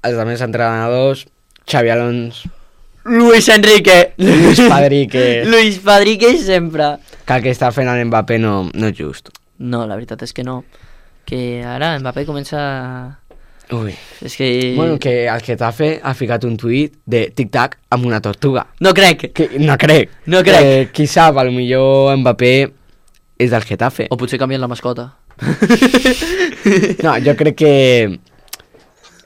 [SPEAKER 3] els altres entrenadors, Xavi Alonso,
[SPEAKER 2] Luis Enrique.
[SPEAKER 3] Luis Padrique.
[SPEAKER 2] Luis Padrique sempre.
[SPEAKER 3] Que el que està fent el Mbappé no, no és just.
[SPEAKER 2] No, la veritat és que no. Que ara Mbappé comença...
[SPEAKER 3] Ui.
[SPEAKER 2] És que...
[SPEAKER 3] Bueno, que el Getafe ha ficat un tuit de tic-tac amb una tortuga.
[SPEAKER 2] No crec.
[SPEAKER 3] Que, no crec.
[SPEAKER 2] No crec.
[SPEAKER 3] Que, qui sap, potser Mbappé és del Getafe.
[SPEAKER 2] O potser canvien la mascota.
[SPEAKER 3] No, jo crec que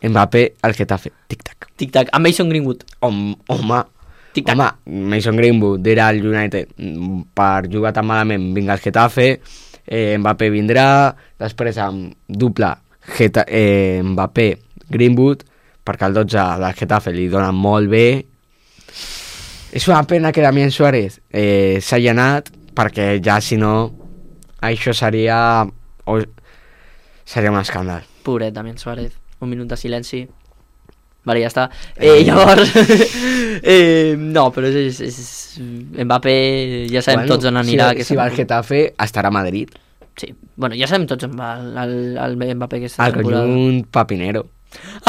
[SPEAKER 3] Mbappé al Getafe. Tic-tac.
[SPEAKER 2] Tic-tac. Amb Mason Greenwood.
[SPEAKER 3] Home, home,
[SPEAKER 2] Tic-tac.
[SPEAKER 3] home, Mason Greenwood era al United per jugar tan malament, vinga al Getafe, eh, Mbappé vindrà, després amb dupla Geta eh, Mbappé Greenwood, perquè el dotze del Getafe li dona molt bé. És una pena que Damián Suárez eh, s'hagi anat, perquè ja si no això seria o, seria un escàndal.
[SPEAKER 2] Pobret, Damián Suárez. Un minut de silenci. Vale, ja està. Eh, llavors... eh, no, però és, és, és... Mbappé ja sabem bueno, tots on anirà.
[SPEAKER 3] Si,
[SPEAKER 2] que
[SPEAKER 3] si va al Getafe estarà a Madrid.
[SPEAKER 2] Sí, bueno, ja sabem tots on va el, el, el Mbappé aquesta
[SPEAKER 3] al
[SPEAKER 2] temporada.
[SPEAKER 3] Al conjunt papinero.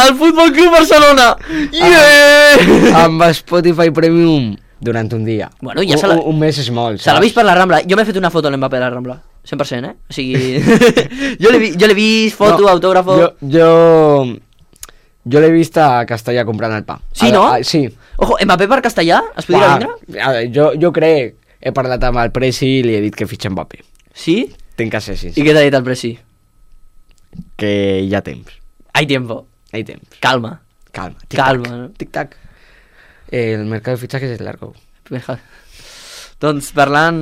[SPEAKER 2] Al Futbol Club Barcelona! Yeah!
[SPEAKER 3] Amb Spotify Premium durant un dia.
[SPEAKER 2] Bueno, ja
[SPEAKER 3] un, un mes és molt,
[SPEAKER 2] se l'ha vist per la Rambla. Jo m'he fet una foto a l'Mbappé a la Rambla. cent per cent, eh? O sigui... jo l'he vist, foto, no, autògrafo...
[SPEAKER 3] Jo... jo... Jo l'he vist a Castellà comprant el pa.
[SPEAKER 2] Sí,
[SPEAKER 3] a,
[SPEAKER 2] no?
[SPEAKER 3] A, sí.
[SPEAKER 2] Ojo, Mbappé per Castellà? Es podria vindre?
[SPEAKER 3] Jo, jo crec, he parlat amb el Presi i li he dit que fitxa Mbappé.
[SPEAKER 2] Sí?
[SPEAKER 3] Tinc que ser sincer.
[SPEAKER 2] I què t'ha dit el Presi?
[SPEAKER 3] Que hi ha temps.
[SPEAKER 2] Hay tiempo.
[SPEAKER 3] Hay temps.
[SPEAKER 2] Calma.
[SPEAKER 3] Calma.
[SPEAKER 2] Tic Calma, no?
[SPEAKER 3] Tic-tac. Eh, el mercat de fitxajes és largo.
[SPEAKER 2] Doncs parlant,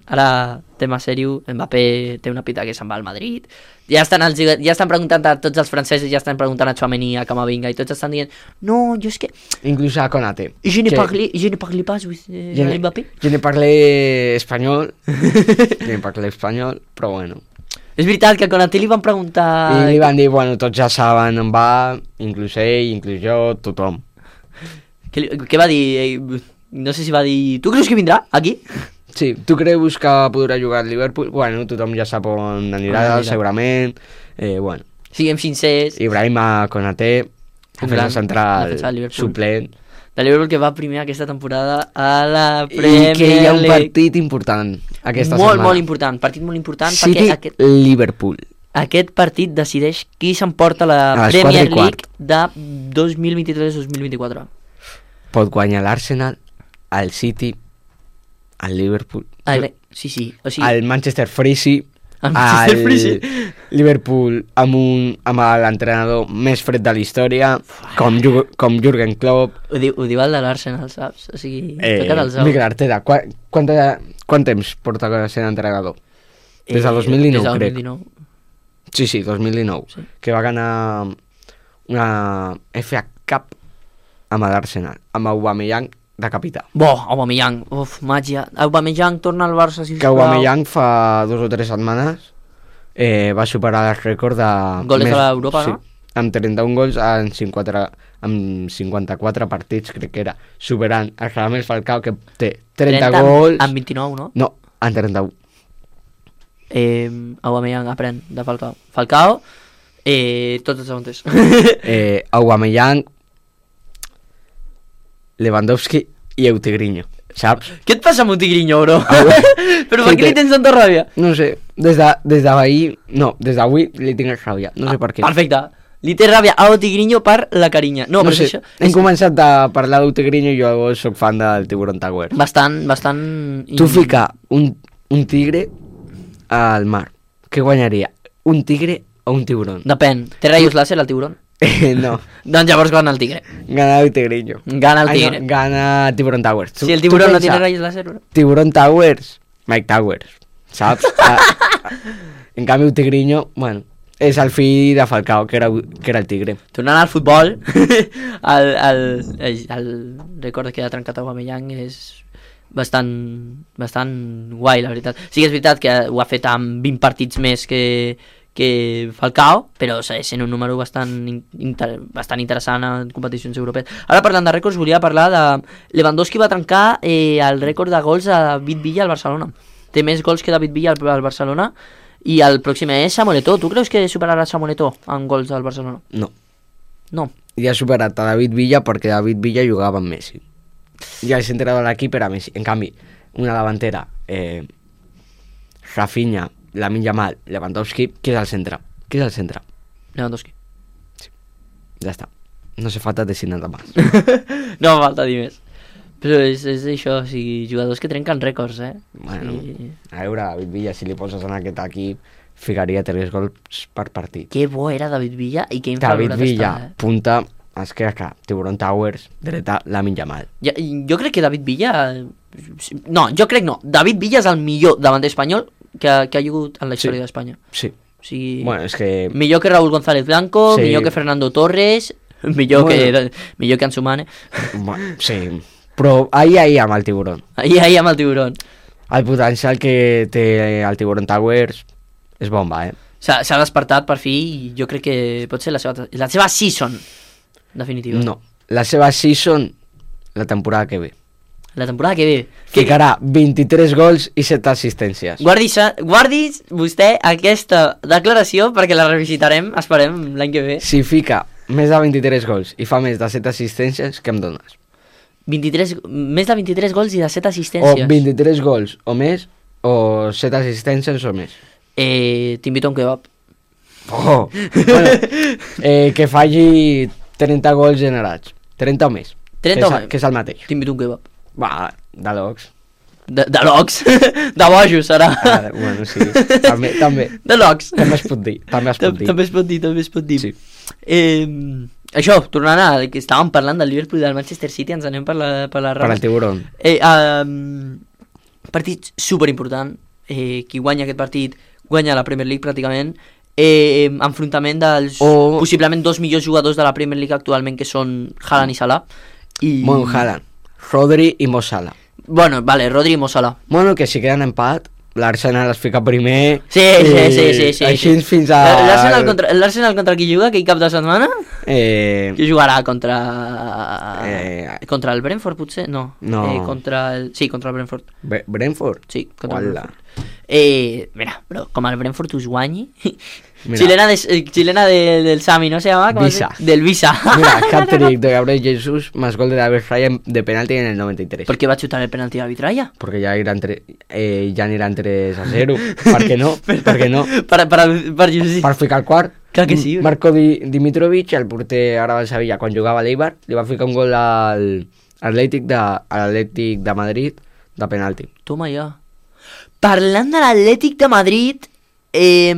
[SPEAKER 2] ara tema seriu, Mbappé té una pita que se'n va al Madrid, ja estan, els, ja estan preguntant a tots els francesos, ja estan preguntant a Tchouaméni, a Camavinga, i tots estan dient, no, jo és que...
[SPEAKER 3] Inclús a Konaté.
[SPEAKER 2] Je ne
[SPEAKER 3] que...
[SPEAKER 2] parle, je ne parle pas with eh,
[SPEAKER 3] je ne,
[SPEAKER 2] Mbappé.
[SPEAKER 3] Je ne parle espanyol, je ne parle espanyol, però bueno.
[SPEAKER 2] És veritat que a Konaté li van preguntar...
[SPEAKER 3] I li van dir, bueno, tots ja saben on va, inclús ell, inclús jo, tothom.
[SPEAKER 2] Què, què va dir? Eh, no sé si va dir... Tu creus que vindrà aquí?
[SPEAKER 3] Sí, tu creus que podrà jugar al Liverpool? Bueno, tothom ja sap on anirà, ah, segurament. Eh, bueno.
[SPEAKER 2] Siguem sincers.
[SPEAKER 3] Ibrahima Konaté, defensa central suplent.
[SPEAKER 2] De Liverpool que va primer aquesta temporada a la Premier League.
[SPEAKER 3] I que hi ha un partit important aquesta
[SPEAKER 2] molt,
[SPEAKER 3] setmana.
[SPEAKER 2] Molt important, partit molt important.
[SPEAKER 3] City,
[SPEAKER 2] aquest,
[SPEAKER 3] Liverpool.
[SPEAKER 2] Aquest partit decideix qui s'emporta la Premier League de dos mil vint-i-tres dos mil vint-i-quatre.
[SPEAKER 3] Pot guanyar l'Arsenal, el City, el Liverpool,
[SPEAKER 2] el, sí, sí, o sigui,
[SPEAKER 3] el Manchester Freezy,
[SPEAKER 2] el Manchester Freezy,
[SPEAKER 3] Liverpool amb, un, amb l'entrenador més fred de la història, com, com Jürgen Klopp.
[SPEAKER 2] Ho diu, ho diu el de l'Arsenal, saps? O sigui,
[SPEAKER 3] eh,
[SPEAKER 2] toca't els ous.
[SPEAKER 3] Mikel Arteta, quant, quant, quant temps porta sent entrenador? Des del dos mil dinou,
[SPEAKER 2] eh,
[SPEAKER 3] crec.
[SPEAKER 2] dos mil dinou.
[SPEAKER 3] Sí, sí, dos mil dinou. Sí. Que va ganar una F A Cup amb l'Arsenal, amb Aubameyang de capità.
[SPEAKER 2] Bo, Aubameyang, uf, màgia. Aubameyang torna al Barça, si us
[SPEAKER 3] que Aubameyang fa dos o tres setmanes eh, va superar el rècord de...
[SPEAKER 2] Goles a l'Europa,
[SPEAKER 3] sí,
[SPEAKER 2] no?
[SPEAKER 3] Amb trenta-un gols en cinquanta-quatre, amb cinquanta-quatre partits, crec que era, superant el Radamel Falcao, que té trenta, trenta gols...
[SPEAKER 2] En vint-i-nou, no?
[SPEAKER 3] No, en trenta-un.
[SPEAKER 2] Eh, Aubameyang aprèn de Falcao. Falcao, eh, tots els segons.
[SPEAKER 3] eh, Aubameyang, Lewandowski i Eutigrinho, saps?
[SPEAKER 2] Què et passa amb un tigrinyo, bro?
[SPEAKER 3] Ah,
[SPEAKER 2] però per què li tens tanta ràbia?
[SPEAKER 3] No sé, des de, des d'ahir, no, des d'avui li tinc ràbia, no sé
[SPEAKER 2] ah,
[SPEAKER 3] per què.
[SPEAKER 2] Perfecte, li té ràbia a Eutigrinho per la carinya. No,
[SPEAKER 3] no
[SPEAKER 2] però
[SPEAKER 3] sé,
[SPEAKER 2] això...
[SPEAKER 3] hem
[SPEAKER 2] és...
[SPEAKER 3] començat a parlar d'Eutigrinho i jo soc fan del Tiburon Tower.
[SPEAKER 2] Bastant, bastant...
[SPEAKER 3] Tu fica un, un tigre al mar, què guanyaria? Un tigre o un tiburón?
[SPEAKER 2] Depèn. Té rayos láser el tiburón?
[SPEAKER 3] Eh, no.
[SPEAKER 2] Doncs llavors gana el tigre.
[SPEAKER 3] Gana el tigrillo.
[SPEAKER 2] Gana el
[SPEAKER 3] Ai,
[SPEAKER 2] tigre.
[SPEAKER 3] no, gana Tiburón Towers.
[SPEAKER 2] Si el tiburón no tiene rayos láser, bro.
[SPEAKER 3] Tiburón Towers, Mike Towers, saps? Ah, en canvi, el tigrillo, bueno, és el fill de Falcao, que era, que era el tigre.
[SPEAKER 2] Tornant al futbol, el, el, el, el record que ha trencat Aubameyang és bastant, bastant guai, la veritat. Sí que és veritat que ho ha fet amb vint partits més que, que Falcao, però és sent un número bastant, inter, bastant interessant en competicions europees. Ara, parlant de rècords, volia parlar de Lewandowski va trencar eh, el rècord de gols a David Villa al Barcelona. Té més gols que David Villa al, al Barcelona, i el pròxim és Samuel Eto'o. Tu creus que superarà Samuel Eto'o en gols al Barcelona?
[SPEAKER 3] No.
[SPEAKER 2] No.
[SPEAKER 3] Ja ha superat a David Villa perquè David Villa jugava amb Messi. Ja el centre de l'equip era Messi. En canvi, una davantera, eh, Rafinha, Lamine Yamal, Lewandowski, qui és el centre? Qui és el centre?
[SPEAKER 2] Lewandowski.
[SPEAKER 3] Sí. Ja està. No se falta decir nada más.
[SPEAKER 2] No fa falta dir més. Però és, és això, o sigui, jugadors que trenquen rècords, eh?
[SPEAKER 3] Bueno,
[SPEAKER 2] I...
[SPEAKER 3] a veure, David Villa, si li poses en aquest equip, ficaria tres gols per partit.
[SPEAKER 2] Que bo era David Villa i que
[SPEAKER 3] David
[SPEAKER 2] infravalorat
[SPEAKER 3] Villa,
[SPEAKER 2] està, eh?
[SPEAKER 3] punta, esquerra, Tiburón Towers, dreta, Lamine Yamal.
[SPEAKER 2] Ja, jo crec que David Villa... No, jo crec no. David Villa és el millor davanter espanyol que, que ha hagut en la història
[SPEAKER 3] Sí.
[SPEAKER 2] d'Espanya.
[SPEAKER 3] Sí.
[SPEAKER 2] O sigui,
[SPEAKER 3] Bueno, és que...
[SPEAKER 2] millor que Raúl González Blanco,
[SPEAKER 3] Sí.
[SPEAKER 2] millor que Fernando Torres, millor,
[SPEAKER 3] Bueno.
[SPEAKER 2] que, millor que Ansu Mane.
[SPEAKER 3] Bueno, sí. Però ahir, ahir amb el Tiburón.
[SPEAKER 2] Ahí, ahí amb el tiburón.
[SPEAKER 3] El potencial que té el Tiburón Towers és bomba, eh?
[SPEAKER 2] S'ha s'ha despertat per fi i jo crec que pot ser la seva, la seva season definitiva.
[SPEAKER 3] No. La seva season, la temporada que ve.
[SPEAKER 2] La temporada que ve. Que,
[SPEAKER 3] Ficarà vint-i-tres gols i set assistències.
[SPEAKER 2] guardi, guardi vostè aquesta declaració perquè la revisitarem, esperem, l'any que ve.
[SPEAKER 3] Si fica més de vint-i-tres gols i fa més de set assistències, què em dones?
[SPEAKER 2] vint-i-tres, més de vint-i-tres gols i de set
[SPEAKER 3] O
[SPEAKER 2] assistències.
[SPEAKER 3] vint-i-tres gols o més, o set assistències o més.
[SPEAKER 2] Eh, T'invito a un kebab.
[SPEAKER 3] Oh! Bueno, eh, que faci trenta gols generats. trenta o més.
[SPEAKER 2] trenta o
[SPEAKER 3] que és,
[SPEAKER 2] més.
[SPEAKER 3] que és el mateix.
[SPEAKER 2] T'invito a un kebab.
[SPEAKER 3] Va, de locs.
[SPEAKER 2] De, de locs. De bojos, serà.
[SPEAKER 3] Ah, bueno, sí. També, també.
[SPEAKER 2] De locs.
[SPEAKER 3] També es pot dir. També es pot dir.
[SPEAKER 2] També es pot dir, també es pot dir.
[SPEAKER 3] Sí.
[SPEAKER 2] Eh, això, tornant a que estàvem parlant del Liverpool i del Manchester City, ens anem per la, per la
[SPEAKER 3] Per al tiburón.
[SPEAKER 2] Eh, um, partit superimportant. Eh, qui guanya aquest partit guanya la Premier League pràcticament. Eh, enfrontament dels
[SPEAKER 3] O-
[SPEAKER 2] possiblement dos millors jugadors de la Premier League actualment, que són Haaland i Salah. I...
[SPEAKER 3] Bueno, Haaland, Rodri i Mo Salah.
[SPEAKER 2] Bueno, vale, Rodri i Mo Salah.
[SPEAKER 3] Bueno, que si queden empat, l'Arsenal es fica primer.
[SPEAKER 2] Sí, sí,
[SPEAKER 3] i
[SPEAKER 2] sí, sí, sí.
[SPEAKER 3] Així
[SPEAKER 2] sí.
[SPEAKER 3] fins a...
[SPEAKER 2] L'Arsenal contra, l'Arsenal contra qui juga aquell cap de setmana?
[SPEAKER 3] Eh,
[SPEAKER 2] Qui jugarà contra...
[SPEAKER 3] Eh,
[SPEAKER 2] contra el Brentford, potser? No.
[SPEAKER 3] No.
[SPEAKER 2] Eh, contra el... Sí, contra el Brentford.
[SPEAKER 3] Bre- Brentford?
[SPEAKER 2] Sí, contra el
[SPEAKER 3] Uala.
[SPEAKER 2] Brentford. Eh, mira, bro, com el Brentford us guanyi...
[SPEAKER 3] Mira.
[SPEAKER 2] Chilena, de, eh, chilena de, del Sami, ¿no se llama? ¿Cómo
[SPEAKER 3] Visa.
[SPEAKER 2] se- Del Visa.
[SPEAKER 3] Mira, hat-trick de Gabriel Jesus más gol de David Raya de penalti en el noventa y tres.
[SPEAKER 2] ¿Por qué va a chutar el penalti David Raya?
[SPEAKER 3] Porque ya irán, tre eh, ya aniran tres a cero. ¿Por qué no? ¿Por qué no?
[SPEAKER 2] Per, per, per, per,
[SPEAKER 3] Per ficar el quart.
[SPEAKER 2] Clar que sí, bro.
[SPEAKER 3] Marco Di Dimitrovic, el porter ara del Sevilla, quan jugava a l'Eibar, li va ficar un gol al Atlètic de, a l'Atlètic de Madrid de penalti.
[SPEAKER 2] Toma ja. Parlant de l'Atlètic de Madrid, eh,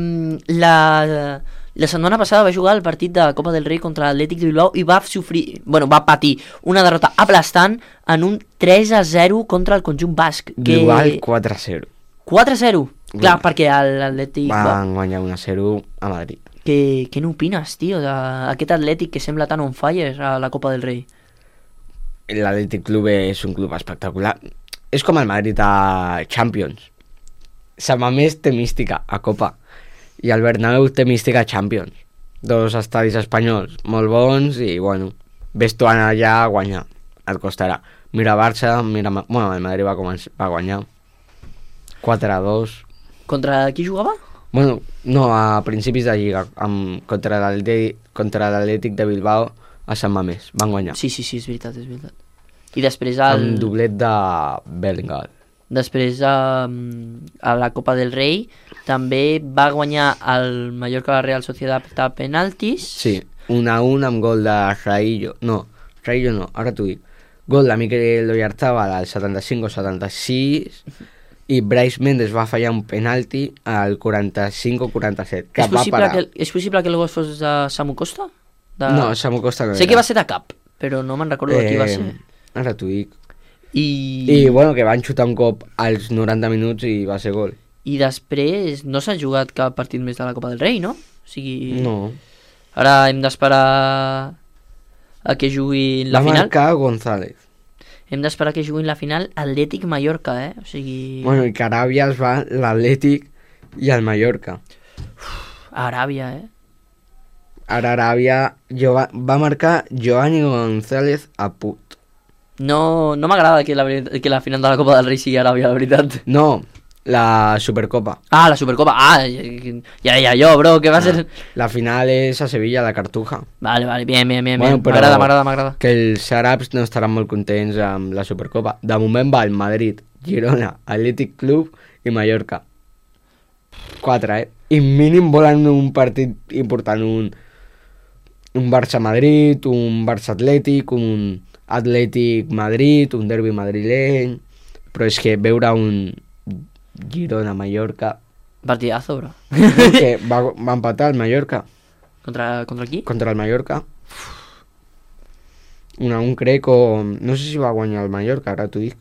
[SPEAKER 2] la, la setmana passada va jugar el partit de Copa del Rei contra l'Atlètic de Bilbao i va sofrir, bueno, va patir una derrota aplastant en un tres a zero contra el conjunt basc. Que...
[SPEAKER 3] Igual quatre a zero.
[SPEAKER 2] quatre a zero? Clar,
[SPEAKER 3] Bueno.
[SPEAKER 2] perquè l'Atlètic...
[SPEAKER 3] Van guanyar un a zero a Madrid.
[SPEAKER 2] Què, què n'opines, tio, d'aquest Atlètic que sembla tan on fire a la Copa del Rei?
[SPEAKER 3] L'Atlètic Club és un club espectacular. És com el Madrid a Champions. Sant Mamés té mística a Copa i el Bernabéu té mística a Champions. Dos estadis espanyols molt bons i, bueno, ves tu allà a guanyar. Et costarà. Mira Barça, mira... Bueno, el Madrid va, començar, va guanyar quatre a dos.
[SPEAKER 2] Contra qui jugava?
[SPEAKER 3] Bueno, no, a principis de Lliga, amb, contra l'Atlètic contra l'Atlètic de Bilbao a Sant Mamés. Van guanyar.
[SPEAKER 2] Sí, sí, sí, és veritat, és veritat. I després el...
[SPEAKER 3] Amb doblet de Bellingham.
[SPEAKER 2] Després a, a la Copa del Rei també va guanyar el Mallorca Real Sociedad a penaltis.
[SPEAKER 3] Sí, un a un amb gol de Raillo. No, Raillo no, ara t'ho dic. Gol de Miquel Oyarzabal al setanta-cinc o setanta-sis i Brais Méndez va fallar un penalti al quaranta-cinc o quaranta-set, que
[SPEAKER 2] És
[SPEAKER 3] va
[SPEAKER 2] possible
[SPEAKER 3] parar.
[SPEAKER 2] que, és possible que el gol fos de Samu Costa? De...
[SPEAKER 3] No, Samu Costa no
[SPEAKER 2] Sé
[SPEAKER 3] era.
[SPEAKER 2] que va ser de cap, però no me'n recordo de qui va ser.
[SPEAKER 3] Ara t'ho dic.
[SPEAKER 2] I...
[SPEAKER 3] I bueno, que van xutar un cop als noranta minuts i va ser gol.
[SPEAKER 2] I després no s'ha jugat cap partit més de la Copa del Rei, no? O sigui...
[SPEAKER 3] No.
[SPEAKER 2] Ara hem d'esperar a que juguin la
[SPEAKER 3] Va
[SPEAKER 2] final.
[SPEAKER 3] marcar González.
[SPEAKER 2] Hem d'esperar que juguin la final Atlètic Mallorca, eh? O sigui...
[SPEAKER 3] Bueno, i que Aràbia es va l'Atlètic i el Mallorca.
[SPEAKER 2] Aràbia, eh?
[SPEAKER 3] Ara Aràbia jo va, va marcar Giovanni González a Put.
[SPEAKER 2] No, no m'agrada que, la, veri- que la final de la Copa del Rei sigui Aràbia, la veritat.
[SPEAKER 3] No, la Supercopa.
[SPEAKER 2] Ah, la Supercopa. Ah, ja deia jo, bro, que va ser...
[SPEAKER 3] La final és a Sevilla, la Cartuja.
[SPEAKER 2] Vale, vale, bien, bien, bien.
[SPEAKER 3] Bueno,
[SPEAKER 2] bien.
[SPEAKER 3] però-
[SPEAKER 2] M'agrada, m'agrada, m'agrada.
[SPEAKER 3] Que els àrabs no estaran molt contents amb la Supercopa. De moment va el Madrid, Girona, Atlètic Club i Mallorca. Quatre, eh? I mínim volen un partit important, un, un Barça-Madrid, un Barça-Atlètic, un Atlètic-Madrid, un derbi madrileny... Però és que veure un Girona-Mallorca...
[SPEAKER 2] Partidazo, bro.
[SPEAKER 3] que va, va empatar el Mallorca
[SPEAKER 2] Contra, contra qui?
[SPEAKER 3] contra el Mallorca. Un a un crec o... No sé si va guanyar el Mallorca, ara t'ho dic.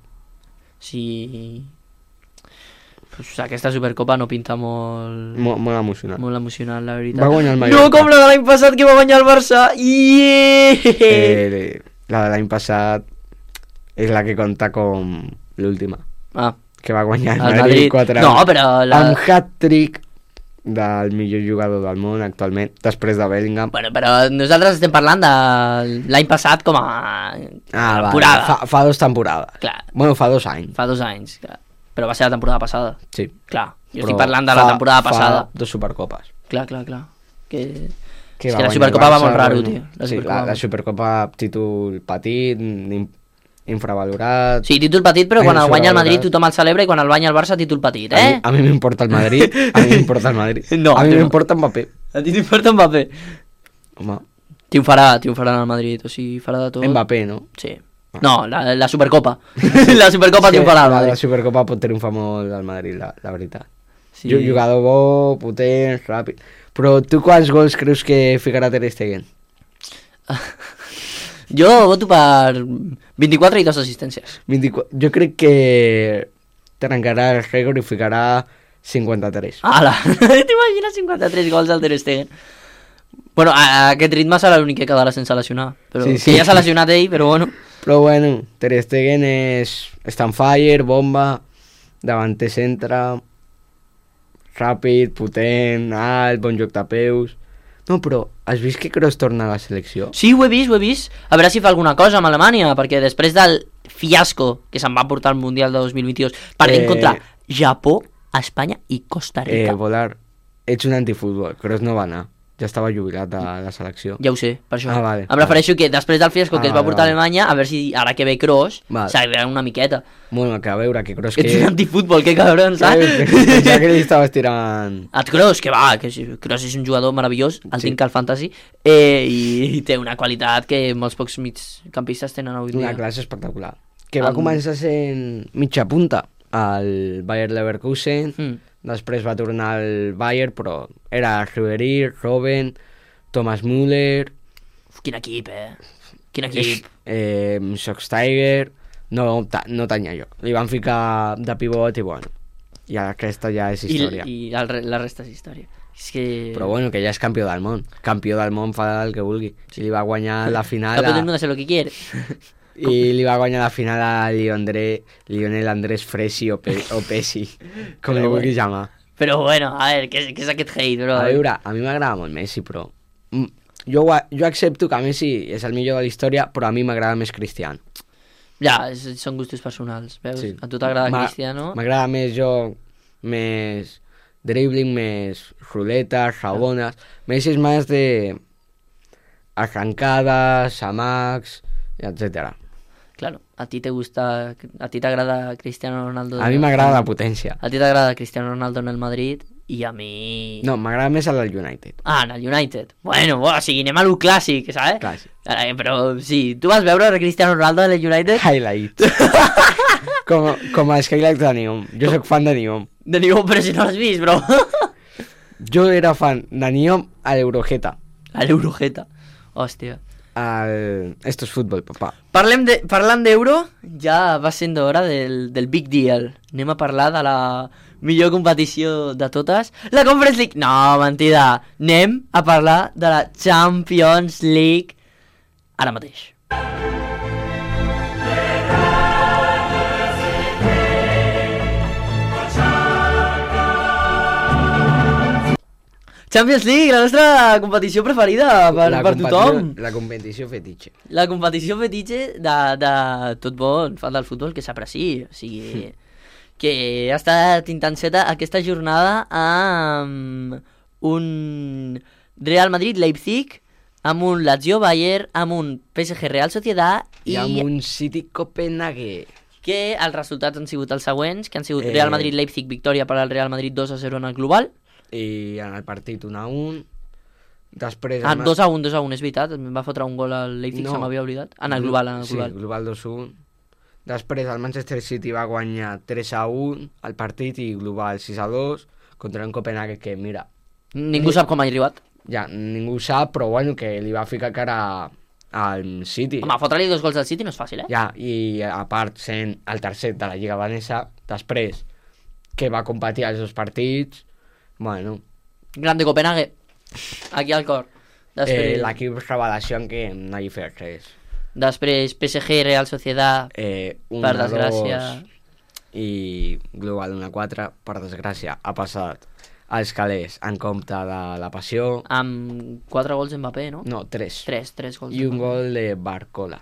[SPEAKER 2] Sí... Pues, aquesta Supercopa no pinta molt...
[SPEAKER 3] Molt, molt emocionant.
[SPEAKER 2] Molt emocionant, la veritat.
[SPEAKER 3] Va guanyar el Mallorca.
[SPEAKER 2] No, com la de l'any passat que va guanyar el Barça. Yeah!
[SPEAKER 3] Eh, la de l'any passat és la que compta com l'última,
[SPEAKER 2] Ah,
[SPEAKER 3] que va guanyar el
[SPEAKER 2] el
[SPEAKER 3] Madrid,
[SPEAKER 2] Madrid.
[SPEAKER 3] quatre
[SPEAKER 2] No, però la...
[SPEAKER 3] amb hat-trick del millor jugador del món actualment, després de Bellingham.
[SPEAKER 2] Bueno, però nosaltres estem parlant de l'any passat com a
[SPEAKER 3] Ah,
[SPEAKER 2] temporada.
[SPEAKER 3] vale. fa, fa dos temporades.
[SPEAKER 2] Clar,
[SPEAKER 3] Bueno, fa dos anys.
[SPEAKER 2] fa dos anys, clar. Però va ser la temporada passada.
[SPEAKER 3] Sí.
[SPEAKER 2] Clar, jo
[SPEAKER 3] Però
[SPEAKER 2] estic parlant de la
[SPEAKER 3] fa-
[SPEAKER 2] temporada passada.
[SPEAKER 3] Fa dos supercopes.
[SPEAKER 2] Clar, clar, clar. Que...
[SPEAKER 3] Que
[SPEAKER 2] És
[SPEAKER 3] va
[SPEAKER 2] que la
[SPEAKER 3] guanyar
[SPEAKER 2] Supercopa
[SPEAKER 3] el
[SPEAKER 2] va
[SPEAKER 3] Barça,
[SPEAKER 2] molt raro,
[SPEAKER 3] bueno,
[SPEAKER 2] tio. La
[SPEAKER 3] sí,
[SPEAKER 2] Supercopa
[SPEAKER 3] la, la
[SPEAKER 2] va-
[SPEAKER 3] Supercopa títol petit, in- infravalorat.
[SPEAKER 2] Sí, títol petit, però
[SPEAKER 3] Ai,
[SPEAKER 2] quan el
[SPEAKER 3] això
[SPEAKER 2] guanya el
[SPEAKER 3] la
[SPEAKER 2] Madrid
[SPEAKER 3] veritat.
[SPEAKER 2] tothom el celebra i quan el guanya el Barça títol petit,
[SPEAKER 3] A mi,
[SPEAKER 2] eh?
[SPEAKER 3] a mi m'importa el Madrid, a mi m'importa el Madrid.
[SPEAKER 2] No,
[SPEAKER 3] a mi
[SPEAKER 2] tu no.
[SPEAKER 3] m'importa Mbappé.
[SPEAKER 2] A ti t'importa Mbappé?
[SPEAKER 3] Home,
[SPEAKER 2] Triomfarà, triomfarà en el Madrid, o sigui, farà de tot.
[SPEAKER 3] Mbappé, no?
[SPEAKER 2] Sí. No, la, la Supercopa. la Supercopa
[SPEAKER 3] Sí,
[SPEAKER 2] triomfarà al
[SPEAKER 3] la,
[SPEAKER 2] Madrid.
[SPEAKER 3] la Supercopa pot triomfar molt al Madrid, la, la veritat.
[SPEAKER 2] Sí.
[SPEAKER 3] Sí. Jugador bo, potent, ràpid. Però tu quants gols creus que ficarà Ter Stegen?
[SPEAKER 2] Jo voto per vint-i-quatre i dues assistències.
[SPEAKER 3] vint-i-quatre Jo crec que trencarà el rècord i ficarà cinquanta-tres.
[SPEAKER 2] Ala, t'imagines cinquanta-tres gols al Ter Stegen? Bueno, a, a aquest ritme serà l'únic que quedarà sense lesionar. Però
[SPEAKER 3] Sí,
[SPEAKER 2] sí,
[SPEAKER 3] sí.
[SPEAKER 2] que ja s'ha lesionat ell, però bueno.
[SPEAKER 3] Però bueno, Ter Stegen és està on fire, bomba, davanter centre, ràpid, potent, alt, bon joc de peus... No, però has vist que Kroos torna a la selecció?
[SPEAKER 2] Sí, ho he vist, ho he vist. A veure si fa alguna cosa amb Alemanya, perquè després del fiasco que se'n va portar al Mundial de dos mil vint-i-dos, perdent
[SPEAKER 3] Eh,
[SPEAKER 2] contra Japó, Espanya i Costa
[SPEAKER 3] Eh,
[SPEAKER 2] Rica.
[SPEAKER 3] Volar, ets un antifutbol. Kroos no va anar. Ja estava jubilat a la selecció.
[SPEAKER 2] Ja ho sé, per això.
[SPEAKER 3] Ah, vale,
[SPEAKER 2] em refereixo que després del fiasco que
[SPEAKER 3] Ah,
[SPEAKER 2] es va
[SPEAKER 3] vale,
[SPEAKER 2] portar a
[SPEAKER 3] vale.
[SPEAKER 2] Alemanya, a veure si ara que ve Kroos,
[SPEAKER 3] Vale.
[SPEAKER 2] s'agrada una miqueta.
[SPEAKER 3] Bueno, que a veure, que Kroos
[SPEAKER 2] Que...
[SPEAKER 3] que...
[SPEAKER 2] Ets un antifutbol, que cabron, saps?
[SPEAKER 3] Ja que li estaves tirant...
[SPEAKER 2] Et Kroos, que va, que sí, Kroos és un jugador meravellós, el
[SPEAKER 3] Sí.
[SPEAKER 2] tinc al Fantasy, eh, i, i té una qualitat que molts pocs migcampistes tenen avui dia.
[SPEAKER 3] Una classe espectacular. Que va
[SPEAKER 2] El-
[SPEAKER 3] començar sent mitja punta al Bayer Leverkusen,
[SPEAKER 2] Mm.
[SPEAKER 3] després va tornar al Bayern, però era Ribéry, Robben, Thomas Müller,
[SPEAKER 2] Uf, quin equip, eh? Quin equip.
[SPEAKER 3] eh, Schweinsteiger, no, ta, no tenia jo. Li van ficar de pivot i bueno, i aquesta ja és
[SPEAKER 2] I,
[SPEAKER 3] història.
[SPEAKER 2] i el, re- la resta és història. És que...
[SPEAKER 3] Però bueno, que ja és campió del món. Campió del món fa el que vulgui. Si li va guanyar la final...
[SPEAKER 2] Campeón del
[SPEAKER 3] A...
[SPEAKER 2] mundo hace lo que quiere.
[SPEAKER 3] I li va guanyar la final a Lionel, Lionel Andrés Fresi o, Pe o Pesi, com
[SPEAKER 2] Però
[SPEAKER 3] li
[SPEAKER 2] bueno.
[SPEAKER 3] vulguis llamar.
[SPEAKER 2] Però bueno, a veure, què, és- què és aquest hate, bro?
[SPEAKER 3] A veure, a mi m'agrada molt Messi, però... mm, Jo, ho a- jo accepto que Messi és el millor de la història, però a mi m'agrada més Cristiano.
[SPEAKER 2] Ja, és, són gustos personals, veus?
[SPEAKER 3] Sí.
[SPEAKER 2] A tu t'agrada
[SPEAKER 3] Ma-
[SPEAKER 2] Cristiano?
[SPEAKER 3] M'agrada més joc, més dribbling, més ruletes, rabones. Messi és més de arrancades, amacs, etcètera.
[SPEAKER 2] Claro, a ti te gusta, a ti t'agrada Cristiano Ronaldo.
[SPEAKER 3] A mi m'agrada la potència.
[SPEAKER 2] A ti t'agrada Cristiano Ronaldo en el Madrid i a mi...
[SPEAKER 3] No, m'agrada més el del United.
[SPEAKER 2] Ah, en el United. Bueno, bueno, o sigui, anem a lo clàssic, saps?
[SPEAKER 3] Clàssic.
[SPEAKER 2] Eh, però sí, tu vas veure Cristiano Ronaldo en el United?
[SPEAKER 3] Highlight. Com, com a Skylarks de Neom. Jo sóc fan de Neom.
[SPEAKER 2] De ningú, però si no l'has vist, bro.
[SPEAKER 3] Jo era fan de Neom a l'Eurojeta.
[SPEAKER 2] A l'Eurojeta. Hòstia.
[SPEAKER 3] Al... Esto es fútbol, papà.
[SPEAKER 2] Parlem de, parlant d'Euro, ja va sent hora del, del Big Deal. Anem a parlar de la millor competició de totes. La Conference League. No, mentida. Anem a parlar de la Champions League ara mateix. Champions League, la nostra competició preferida per,
[SPEAKER 3] la
[SPEAKER 2] per tothom.
[SPEAKER 3] La competició fetitxe.
[SPEAKER 2] La competició fetitxe de, de tot bon fan del futbol que s'apreci. O sigui, que ha estat intenseta aquesta jornada amb un Real Madrid-Leipzig, amb un Lazio-Bayern, amb un P S G Real Sociedad
[SPEAKER 3] I,
[SPEAKER 2] i,
[SPEAKER 3] amb un City Copenhague.
[SPEAKER 2] que els resultats han sigut els següents, que han sigut
[SPEAKER 3] Eh.
[SPEAKER 2] Real Madrid-Leipzig, victòria per al Real Madrid dos a zero en el global.
[SPEAKER 3] I en el partit un a un. Després...
[SPEAKER 2] Ah,
[SPEAKER 3] el Ma-
[SPEAKER 2] dos a un, dos a un, és veritat, em va fotre un gol al Leipzig,
[SPEAKER 3] No.
[SPEAKER 2] se m'havia oblidat. En el global, en el global.
[SPEAKER 3] Sí, global dos a un. Després el Manchester City va guanyar tres a un al partit i global sis a dos contra un Copenhague que, mira,
[SPEAKER 2] Ningú sap com ha arribat.
[SPEAKER 3] ja ningú sap, però bueno, que li va ficar cara al City.
[SPEAKER 2] Home, fotre-li dos gols al City no és fàcil, eh?
[SPEAKER 3] Ja, i a part sent el tercer de la Lliga Vanessa, després que va competir als dos partits, bueno,
[SPEAKER 2] Grande Copenhague, aquí al cor.
[SPEAKER 3] eh,
[SPEAKER 2] Després,
[SPEAKER 3] l'equip revelació en què no hi fet res.
[SPEAKER 2] després P S G Real Sociedad,
[SPEAKER 3] Eh, un
[SPEAKER 2] per
[SPEAKER 3] a
[SPEAKER 2] desgràcia.
[SPEAKER 3] dos i global un a quatre, per desgràcia, ha passat als calés en compte de la passió.
[SPEAKER 2] amb quatre gols Mbappé, no?
[SPEAKER 3] No, tres.
[SPEAKER 2] Tres, tres gols
[SPEAKER 3] I un
[SPEAKER 2] d'Mbappé.
[SPEAKER 3] gol de Barcola.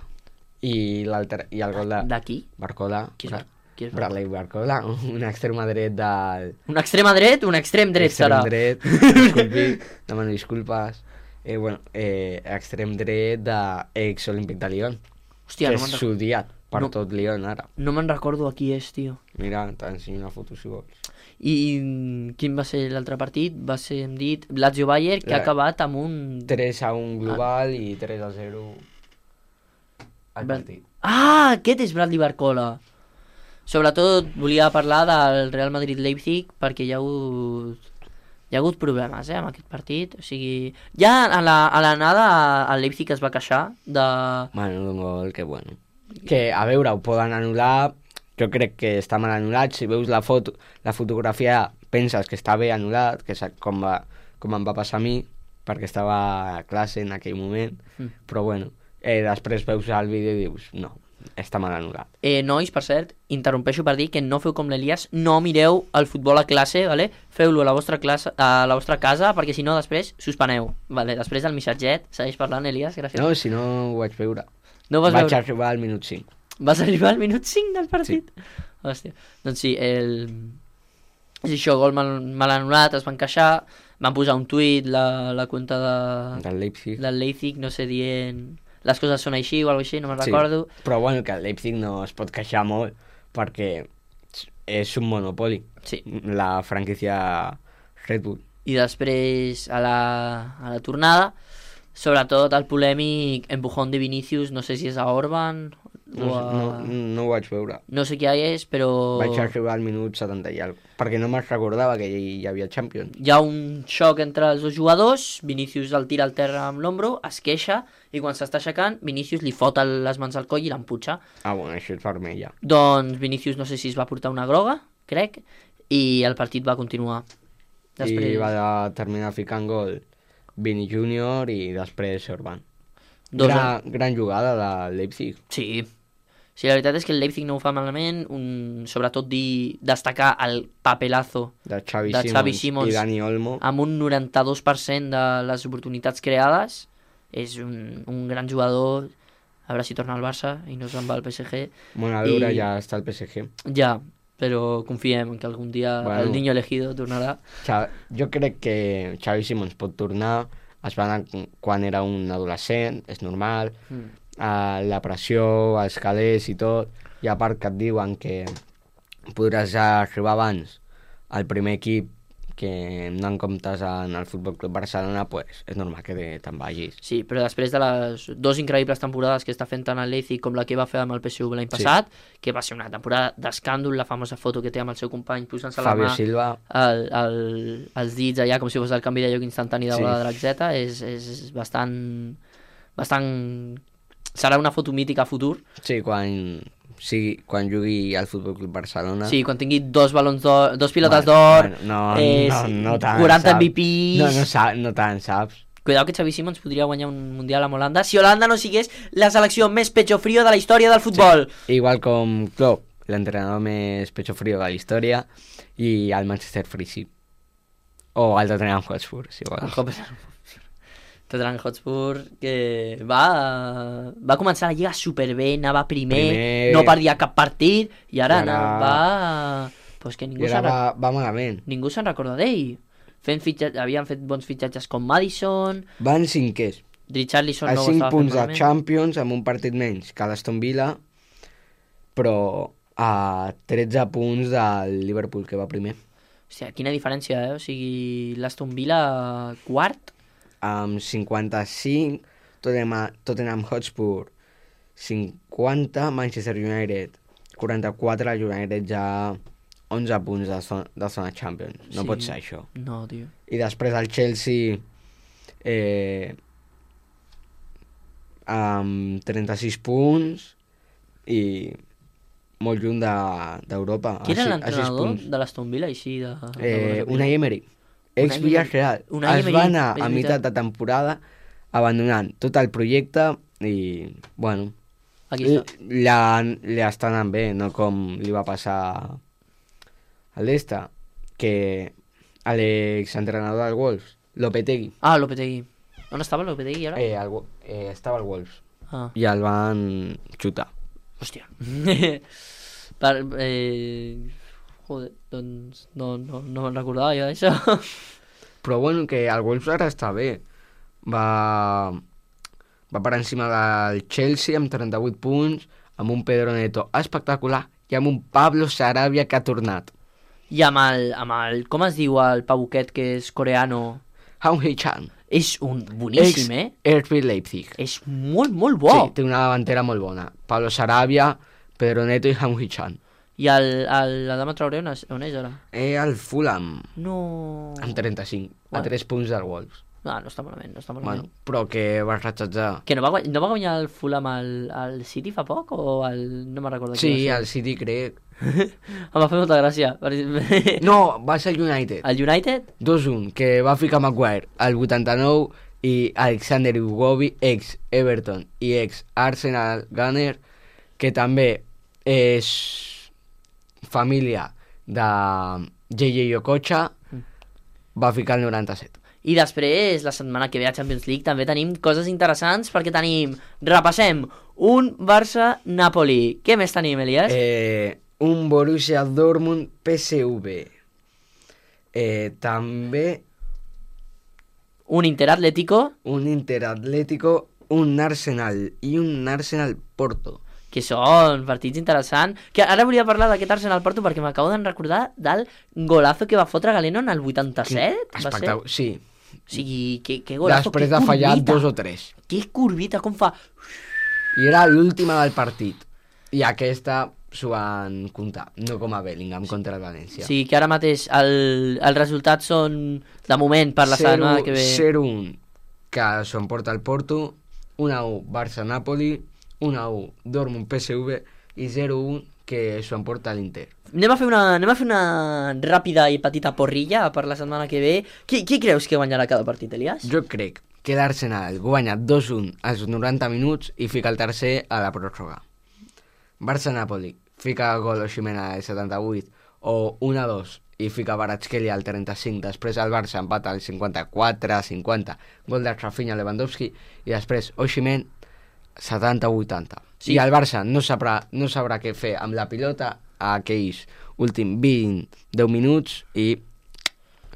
[SPEAKER 3] I l'altre i el gol de
[SPEAKER 2] D'aquí?
[SPEAKER 3] Barcola.
[SPEAKER 2] Qui és,
[SPEAKER 3] Bra-
[SPEAKER 2] qui és
[SPEAKER 3] Bradley Barcola, un extrema dret del...
[SPEAKER 2] un extrema dret, un extrem dret
[SPEAKER 3] extrem
[SPEAKER 2] serà.
[SPEAKER 3] dret, disculpi, demano disculpes. Eh, bueno, eh, extrem dret d'ex Olímpic de Lyon,
[SPEAKER 2] Hòstia,
[SPEAKER 3] que
[SPEAKER 2] no
[SPEAKER 3] és
[SPEAKER 2] me'n
[SPEAKER 3] sudiat per
[SPEAKER 2] No.
[SPEAKER 3] tot Lyon ara.
[SPEAKER 2] no me'n recordo a qui és, tio.
[SPEAKER 3] Mira, t'ensenyo una foto si vols.
[SPEAKER 2] I mm, quin va ser l'altre partit? Va ser, hem dit, Lazio Bayern, que
[SPEAKER 3] La-
[SPEAKER 2] ha acabat amb un...
[SPEAKER 3] tres a un global i tres a zero al
[SPEAKER 2] Bra-
[SPEAKER 3] partit.
[SPEAKER 2] Ah, aquest és Bradley Barcola. Sobretot volia parlar del Real Madrid-Leipzig perquè hi ha hagut hi ha hagut problemes eh, amb aquest partit. O sigui, ja a la- a l'anada el Leipzig es va queixar de...
[SPEAKER 3] Bueno, un gol que bueno. Que, a veure, ho poden anul·lar, jo crec que està mal anul·lat, si veus la foto, la fotografia penses que està bé anul·lat, que és com, va, com em va passar a mi, perquè estava a classe en aquell moment,
[SPEAKER 2] Mm.
[SPEAKER 3] però bueno, eh, després veus el vídeo i dius, no, està mal anul·lat.
[SPEAKER 2] Eh, nois, per cert, interrompeixo per dir que no feu com l'Elias, no mireu el futbol a classe, vale? Feu-lo a la vostra classe, a la vostra casa, perquè si no després suspeneu. Vale? Després del missatget, segueix parlant, Elias, gràcies.
[SPEAKER 3] No, si no ho vaig veure.
[SPEAKER 2] no ho vas
[SPEAKER 3] Vaig
[SPEAKER 2] veure?
[SPEAKER 3] arribar al minut cinc.
[SPEAKER 2] Vas arribar al minut cinc del partit? Sí. Hòstia. Doncs sí, el... és això, gol mal, mal anul·lat, es van queixar, van posar un tuit la, la compte de,
[SPEAKER 3] Del Leipzig.
[SPEAKER 2] del Leipzig, no sé, dient les coses són així o alguna així, no me'n
[SPEAKER 3] Sí.
[SPEAKER 2] recordo.
[SPEAKER 3] Però bueno, que el Leipzig no es pot queixar molt, perquè és un monopoli.
[SPEAKER 2] Sí.
[SPEAKER 3] La franquícia Red Bull.
[SPEAKER 2] I després, a la, a la tornada, sobretot el polèmic empujón de Vinícius, no sé si és a Orban
[SPEAKER 3] No,
[SPEAKER 2] o a...
[SPEAKER 3] no, no ho vaig veure.
[SPEAKER 2] No sé qui és, però...
[SPEAKER 3] Vaig arribar al minut setanta i alguna cosa, perquè no me'n recordava que hi, hi havia Champions.
[SPEAKER 2] Hi ha un xoc entre els dos jugadors, Vinícius el tira al terra amb l'ombro, es queixa, i quan s'està aixecant, Vinícius li fot el- les mans al coll i l'emputxa.
[SPEAKER 3] Ah, bueno, això és vermella.
[SPEAKER 2] Doncs Vinícius no sé si es va portar una groga, crec, i el partit va continuar.
[SPEAKER 3] I va terminar ficant gol Vini júnior i després Orban.
[SPEAKER 2] Dos
[SPEAKER 3] Gran, gran jugada de Leipzig.
[SPEAKER 2] Sí. Sí, la veritat és que el Leipzig no ho fa malament, un, sobretot dir, destacar el papelazo
[SPEAKER 3] De Xavi,
[SPEAKER 2] De
[SPEAKER 3] Simons,
[SPEAKER 2] Xavi Simons.
[SPEAKER 3] i Dani Olmo.
[SPEAKER 2] amb un noranta-dos per cent de les oportunitats creades. És un, un gran jugador, a veure si torna al Barça i no se'n va al P S G.
[SPEAKER 3] Bueno, a veure,
[SPEAKER 2] I-
[SPEAKER 3] ja està el P S G.
[SPEAKER 2] Ja, però confiem en que algun dia
[SPEAKER 3] Bueno.
[SPEAKER 2] el niño elegido tornarà.
[SPEAKER 3] Xa- Jo crec que Xavi Simons pot tornar, es va anar quan era un adolescent, és normal,
[SPEAKER 2] Mm.
[SPEAKER 3] a la pressió, els calés i tot, i a part que et diuen que podràs arribar abans al primer equip que no en comptes en el Futbol Club Barcelona, pues és normal que te'n vagis.
[SPEAKER 2] Sí, però després de les dues increïbles temporades que està fent tant el Leipzig com la que va fer amb el P S V l'any passat, sí. que va ser una temporada d'escàndol, la famosa foto que té amb el seu company posant-se la
[SPEAKER 3] Fabio
[SPEAKER 2] mà
[SPEAKER 3] Silva.
[SPEAKER 2] el, el, els dits allà com si fos el canvi de lloc instantani de
[SPEAKER 3] Sí.
[SPEAKER 2] bola de Draxeta, és, és bastant, bastant... serà una foto mítica a futur.
[SPEAKER 3] Sí, quan, sí, quan jugui al Futbol Club Barcelona.
[SPEAKER 2] Sí, quan tingui dos balons d'or, dos pilotes
[SPEAKER 3] Bueno,
[SPEAKER 2] d'or,
[SPEAKER 3] bueno, no,
[SPEAKER 2] eh,
[SPEAKER 3] no, no tant,
[SPEAKER 2] quaranta
[SPEAKER 3] saps?
[SPEAKER 2] M V Ps...
[SPEAKER 3] No, no, sa- no tant, saps?
[SPEAKER 2] Cuidado que Xavi Simons podria guanyar un Mundial amb Holanda si Holanda no sigués la selecció més pecho frío de la història del futbol.
[SPEAKER 3] Sí. Igual com Klopp, l'entrenador més pecho frío de la història, i el Manchester Free, sí. O el Tottenham Hotspur, si
[SPEAKER 2] El
[SPEAKER 3] vols.
[SPEAKER 2] Tottenham Tottenham Hotspur, que va, va començar la lliga superbé, anava primer,
[SPEAKER 3] Primer.
[SPEAKER 2] no perdia cap partit, i ara,
[SPEAKER 3] I ara-
[SPEAKER 2] no, va... Pues que ningú
[SPEAKER 3] I ara
[SPEAKER 2] se'n
[SPEAKER 3] va, va malament.
[SPEAKER 2] ningú se'n recorda d'ell. Fent fitxa... Havien fet bons fitxatges com Madison,
[SPEAKER 3] Van cinquers.
[SPEAKER 2] Richarlison
[SPEAKER 3] A
[SPEAKER 2] no ho
[SPEAKER 3] cinc
[SPEAKER 2] estava fent
[SPEAKER 3] punts de
[SPEAKER 2] malament.
[SPEAKER 3] Champions, amb un partit menys que l'Aston Villa, però a tretze punts del Liverpool, que va primer.
[SPEAKER 2] Hòstia, quina diferència, eh? O sigui, l'Aston Villa quart,
[SPEAKER 3] Amb cinquanta-cinc, Tottenham, Tottenham Hotspur cinquanta, Manchester United quaranta-quatre, el United ja onze punts de zona, de zona Champions. No
[SPEAKER 2] Sí.
[SPEAKER 3] pot ser això.
[SPEAKER 2] no, tio.
[SPEAKER 3] I després el Chelsea eh, amb trenta-sis punts i molt lluny de- d'Europa.
[SPEAKER 2] Qui era
[SPEAKER 3] a si- a sis
[SPEAKER 2] l'entrenador
[SPEAKER 3] punts.
[SPEAKER 2] de l'Aston Villa, així de...
[SPEAKER 3] Eh,
[SPEAKER 2] de...
[SPEAKER 3] Unai Emery, ex
[SPEAKER 2] Unai
[SPEAKER 3] Villarreal.
[SPEAKER 2] Emery. Unai
[SPEAKER 3] Es
[SPEAKER 2] Emery,
[SPEAKER 3] va anar
[SPEAKER 2] és
[SPEAKER 3] a
[SPEAKER 2] veritat.
[SPEAKER 3] meitat de temporada abandonant tot el projecte i, bueno,
[SPEAKER 2] Aquí està.
[SPEAKER 3] li, li està anant bé, no com li va passar a l'Esta, que l'exentrenador del Wolves, Lopetegui,
[SPEAKER 2] Ah, Lopetegui. On estava Lopetegui ara?
[SPEAKER 3] eh, el, Wo- eh, estava al Wolves
[SPEAKER 2] Ah,
[SPEAKER 3] i el van xutar.
[SPEAKER 2] hòstia. per, eh... Joder, doncs no, no, no me'n recordava jo d'això.
[SPEAKER 3] Però bueno, que el Wolves ara està bé. Va, va per encima del Chelsea amb trenta-vuit punts, amb un Pedro Neto espectacular i amb un Pablo Sarabia que ha tornat.
[SPEAKER 2] I amb el, amb el... Com es diu el pavuquet que és coreano?
[SPEAKER 3] Hong Hee-chan,
[SPEAKER 2] És un boníssim, eh?
[SPEAKER 3] ex R B Leipzig.
[SPEAKER 2] És molt, molt bo.
[SPEAKER 3] Sí, té una davantera molt bona. Pablo Sarabia, Pedro Neto i Hong Hee-chan.
[SPEAKER 2] I el, el, la dama Traoré on és, on és ara?
[SPEAKER 3] Eh, el Fulham,
[SPEAKER 2] No...
[SPEAKER 3] amb trenta-cinc, a
[SPEAKER 2] Bueno.
[SPEAKER 3] tres punts del Wolves.
[SPEAKER 2] No, no està malament, no està malament.
[SPEAKER 3] Bueno, però que va ratxatjar.
[SPEAKER 2] Que no va, guany- no va guanyar el Fulham al, al City fa poc o al... No me'n recordo.
[SPEAKER 3] Sí,
[SPEAKER 2] qui va
[SPEAKER 3] el City crec.
[SPEAKER 2] ser. Em va fer molta gràcia. perquè-
[SPEAKER 3] No, va ser el United.
[SPEAKER 2] El United?
[SPEAKER 3] dos un, que va ficar Maguire al vuitanta-nou i Alexander Ugovi, ex Everton i ex Arsenal Gunner, que també és família de J J Okocha, va ficar el noranta-set.
[SPEAKER 2] I després, la setmana que ve a Champions League també tenim coses interessants perquè tenim, repassem, un Barça-Napoli. Què més tenim, Elias?
[SPEAKER 3] Eh, un Borussia Dortmund P S V. Eh, també
[SPEAKER 2] Un Inter-Atlético,
[SPEAKER 3] un Inter Atlético, un Arsenal i un Arsenal Porto.
[SPEAKER 2] que són partits interessants. Que ara volia parlar d'aquest Arsenal-Porto perquè m'acabo de recordar del golazo que va fotre Galeno en el vuitanta-set. Va ser?
[SPEAKER 3] Espectacle- Sí,
[SPEAKER 2] O sigui, que, que golazo,
[SPEAKER 3] després
[SPEAKER 2] que
[SPEAKER 3] de fallar
[SPEAKER 2] curvita.
[SPEAKER 3] dos o tres.
[SPEAKER 2] Que curvita, com fa...
[SPEAKER 3] I era l'última del partit. I aquesta s'ho van comptar, no com a Bellingham contra el València.
[SPEAKER 2] Sí, que ara mateix el, els resultats són, de moment, per la setmana que ve...
[SPEAKER 3] zero un, que s'ho emporta el Porto, un a u Barça-Napoli, un a u Dortmund P S V i zero un que s'ho emporta l'Inter.
[SPEAKER 2] Anem a, fer una, anem a fer una ràpida i petita porrilla per la setmana que ve. Qui, qui creus que guanyarà cada partit, Elias?
[SPEAKER 3] Jo crec que l'Arsenal guanya dos un als noranta minuts i fica el tercer a la pròrroga. Barça-Napoli fica el gol Osimhen al setanta-vuit o un a dos i fica Kvaratskhelia al trenta-cinc, després el Barça empata al cinquanta-quatre cinquanta, gol de Rafinha Lewandowski i després Osimhen setanta vuitanta.
[SPEAKER 2] Sí.
[SPEAKER 3] I el Barça no sabrà, no sabrà què fer amb la pilota a aquells últims vint deu minuts i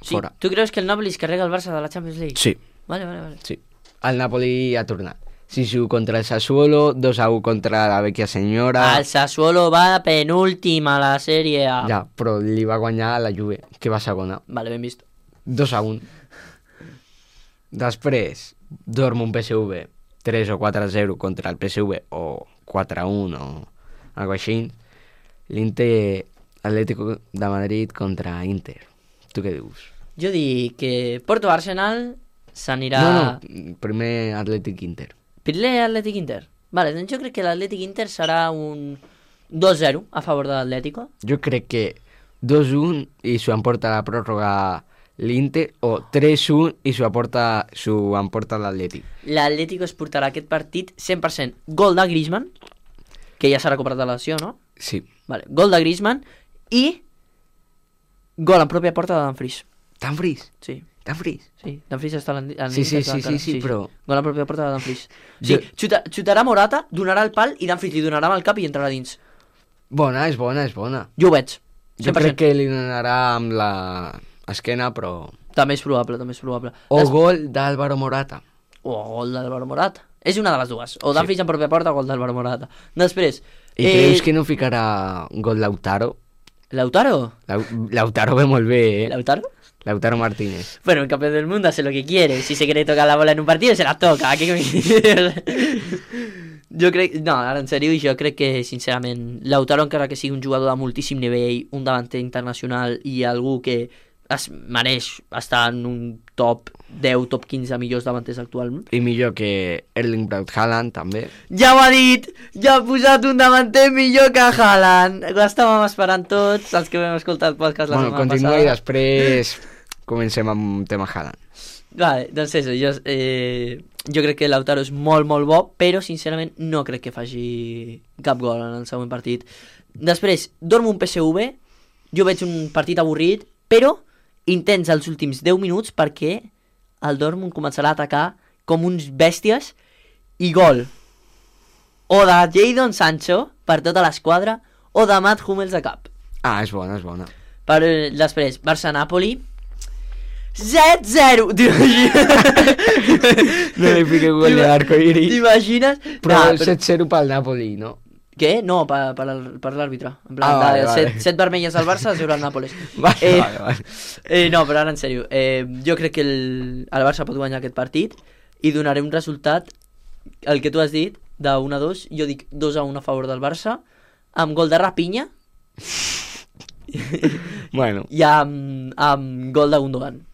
[SPEAKER 2] Sí,
[SPEAKER 3] fora.
[SPEAKER 2] tu creus que el Napoli es carrega el Barça de la Champions League?
[SPEAKER 3] Sí,
[SPEAKER 2] Vale, vale, vale.
[SPEAKER 3] sí. El Napoli ha tornat. sis a u contra el Sassuolo, dos a u contra la vecchia senyora.
[SPEAKER 2] El Sassuolo va penúltim a la Sèrie A.
[SPEAKER 3] Ja, però li va guanyar la Juve, que va segona.
[SPEAKER 2] Vale, ben vist.
[SPEAKER 3] dos a un. Després, Dortmund P S V, tres o quatre a zero contra el P S V, o quatre a un o algo així. L'Inter Atlético de Madrid contra Inter. Tu què dius?
[SPEAKER 2] Jo dic que Porto-Arsenal s'anirà...
[SPEAKER 3] No, no, primer Atlètic Inter.
[SPEAKER 2] Primer Atlètic Inter. Vale, doncs jo crec que l'Atlètic Inter serà un dos zero a favor de l'Atlético.
[SPEAKER 3] Jo crec que dos a un i s'ho emporta la pròrroga l'Inter, o tres a un i s'ho emporta, s'ho emporta l'Atlètic.
[SPEAKER 2] L'Atlético es portarà aquest partit cent per cent gol de Griezmann, que ja s'ha recuperat de la lesió, no?
[SPEAKER 3] Sí.
[SPEAKER 2] Vale, gol de Griezmann i gol en pròpia porta de Dumfries.
[SPEAKER 3] Dumfries?
[SPEAKER 2] Sí,
[SPEAKER 3] Dumfries?
[SPEAKER 2] sí, Dumfries està en l'Inter.
[SPEAKER 3] Sí, sí, sí, sí, sí, però...
[SPEAKER 2] Gol en pròpia porta de Dumfries. Sí,
[SPEAKER 3] Jo-
[SPEAKER 2] xuta, xutarà Morata, donarà el pal i Dumfries li donarà amb el cap i entrarà dins.
[SPEAKER 3] Bona, és bona, és bona.
[SPEAKER 2] Jo ho veig.
[SPEAKER 3] Jo
[SPEAKER 2] cent per cent.
[SPEAKER 3] crec que li donarà amb la esquena, però...
[SPEAKER 2] També és probable, també és probable.
[SPEAKER 3] O
[SPEAKER 2] Des-
[SPEAKER 3] gol d'Álvaro Morata.
[SPEAKER 2] O gol d'Álvaro Morata. És una de les dues. O Dumfries en pròpia porta o gol d'Álvaro Morata. Després...
[SPEAKER 3] I eh... creus que no ficarà gol Lautaro?
[SPEAKER 2] ¿Lautaro?
[SPEAKER 3] Lau... Lautaro ve molt bé, eh?
[SPEAKER 2] ¿Lautaro?
[SPEAKER 3] Lautaro Martínez.
[SPEAKER 2] Bueno, el campeón del mundo hace lo que quiere. Si se quiere tocar la bola en un partido, se la toca. ¿Qué jo crec... No, ara en sèrio, jo crec que, sincerament, Lautaro, encara que sigui un jugador de moltíssim nivell, un davanter internacional i algú que es mereix estar en un top deu, top quinze millors davanters actualment.
[SPEAKER 3] I millor que Erling Braut Haaland, també.
[SPEAKER 2] Ja ho ha dit! Ja ha posat un davanter millor que Haaland! Ho estàvem esperant tots, els que vam escoltar el podcast la
[SPEAKER 3] Bueno,
[SPEAKER 2] setmana
[SPEAKER 3] continua
[SPEAKER 2] passada.
[SPEAKER 3] i després comencem amb tema Haaland.
[SPEAKER 2] Vale, doncs això, jo, eh, jo crec que Lautaro és molt, molt bo, però sincerament no crec que faci cap gol en el següent partit. Després, Dortmund P S V, jo veig un partit avorrit, però intens els últims deu minuts perquè el Dortmund començarà a atacar com uns bèsties i gol. O de Jadon Sancho per tota l'esquadra o de Matt Hummels a cap.
[SPEAKER 3] Ah, és bona, és bona.
[SPEAKER 2] Per, després, Barça-Napoli set zero.
[SPEAKER 3] No li fiqué gol de l'arcoiris.
[SPEAKER 2] T'imagines?
[SPEAKER 3] Però
[SPEAKER 2] Nah,
[SPEAKER 3] el set zero pel Napoli, no?
[SPEAKER 2] Què? No, per, per, el- per l'àrbitre. En plan,
[SPEAKER 3] Ah, vale,
[SPEAKER 2] de
[SPEAKER 3] vale.
[SPEAKER 2] set, set vermelles al Barça, zero al Nàpoles.
[SPEAKER 3] Vale,
[SPEAKER 2] eh,
[SPEAKER 3] vale, vale.
[SPEAKER 2] Eh, no, però ara en sèrio. Eh, jo crec que el, el Barça pot guanyar aquest partit i donaré un resultat, el que tu has dit, de un a dos. Jo dic dos a un a favor del Barça, amb gol de Rapinya
[SPEAKER 3] Bueno,
[SPEAKER 2] i amb, amb gol de Gundogan.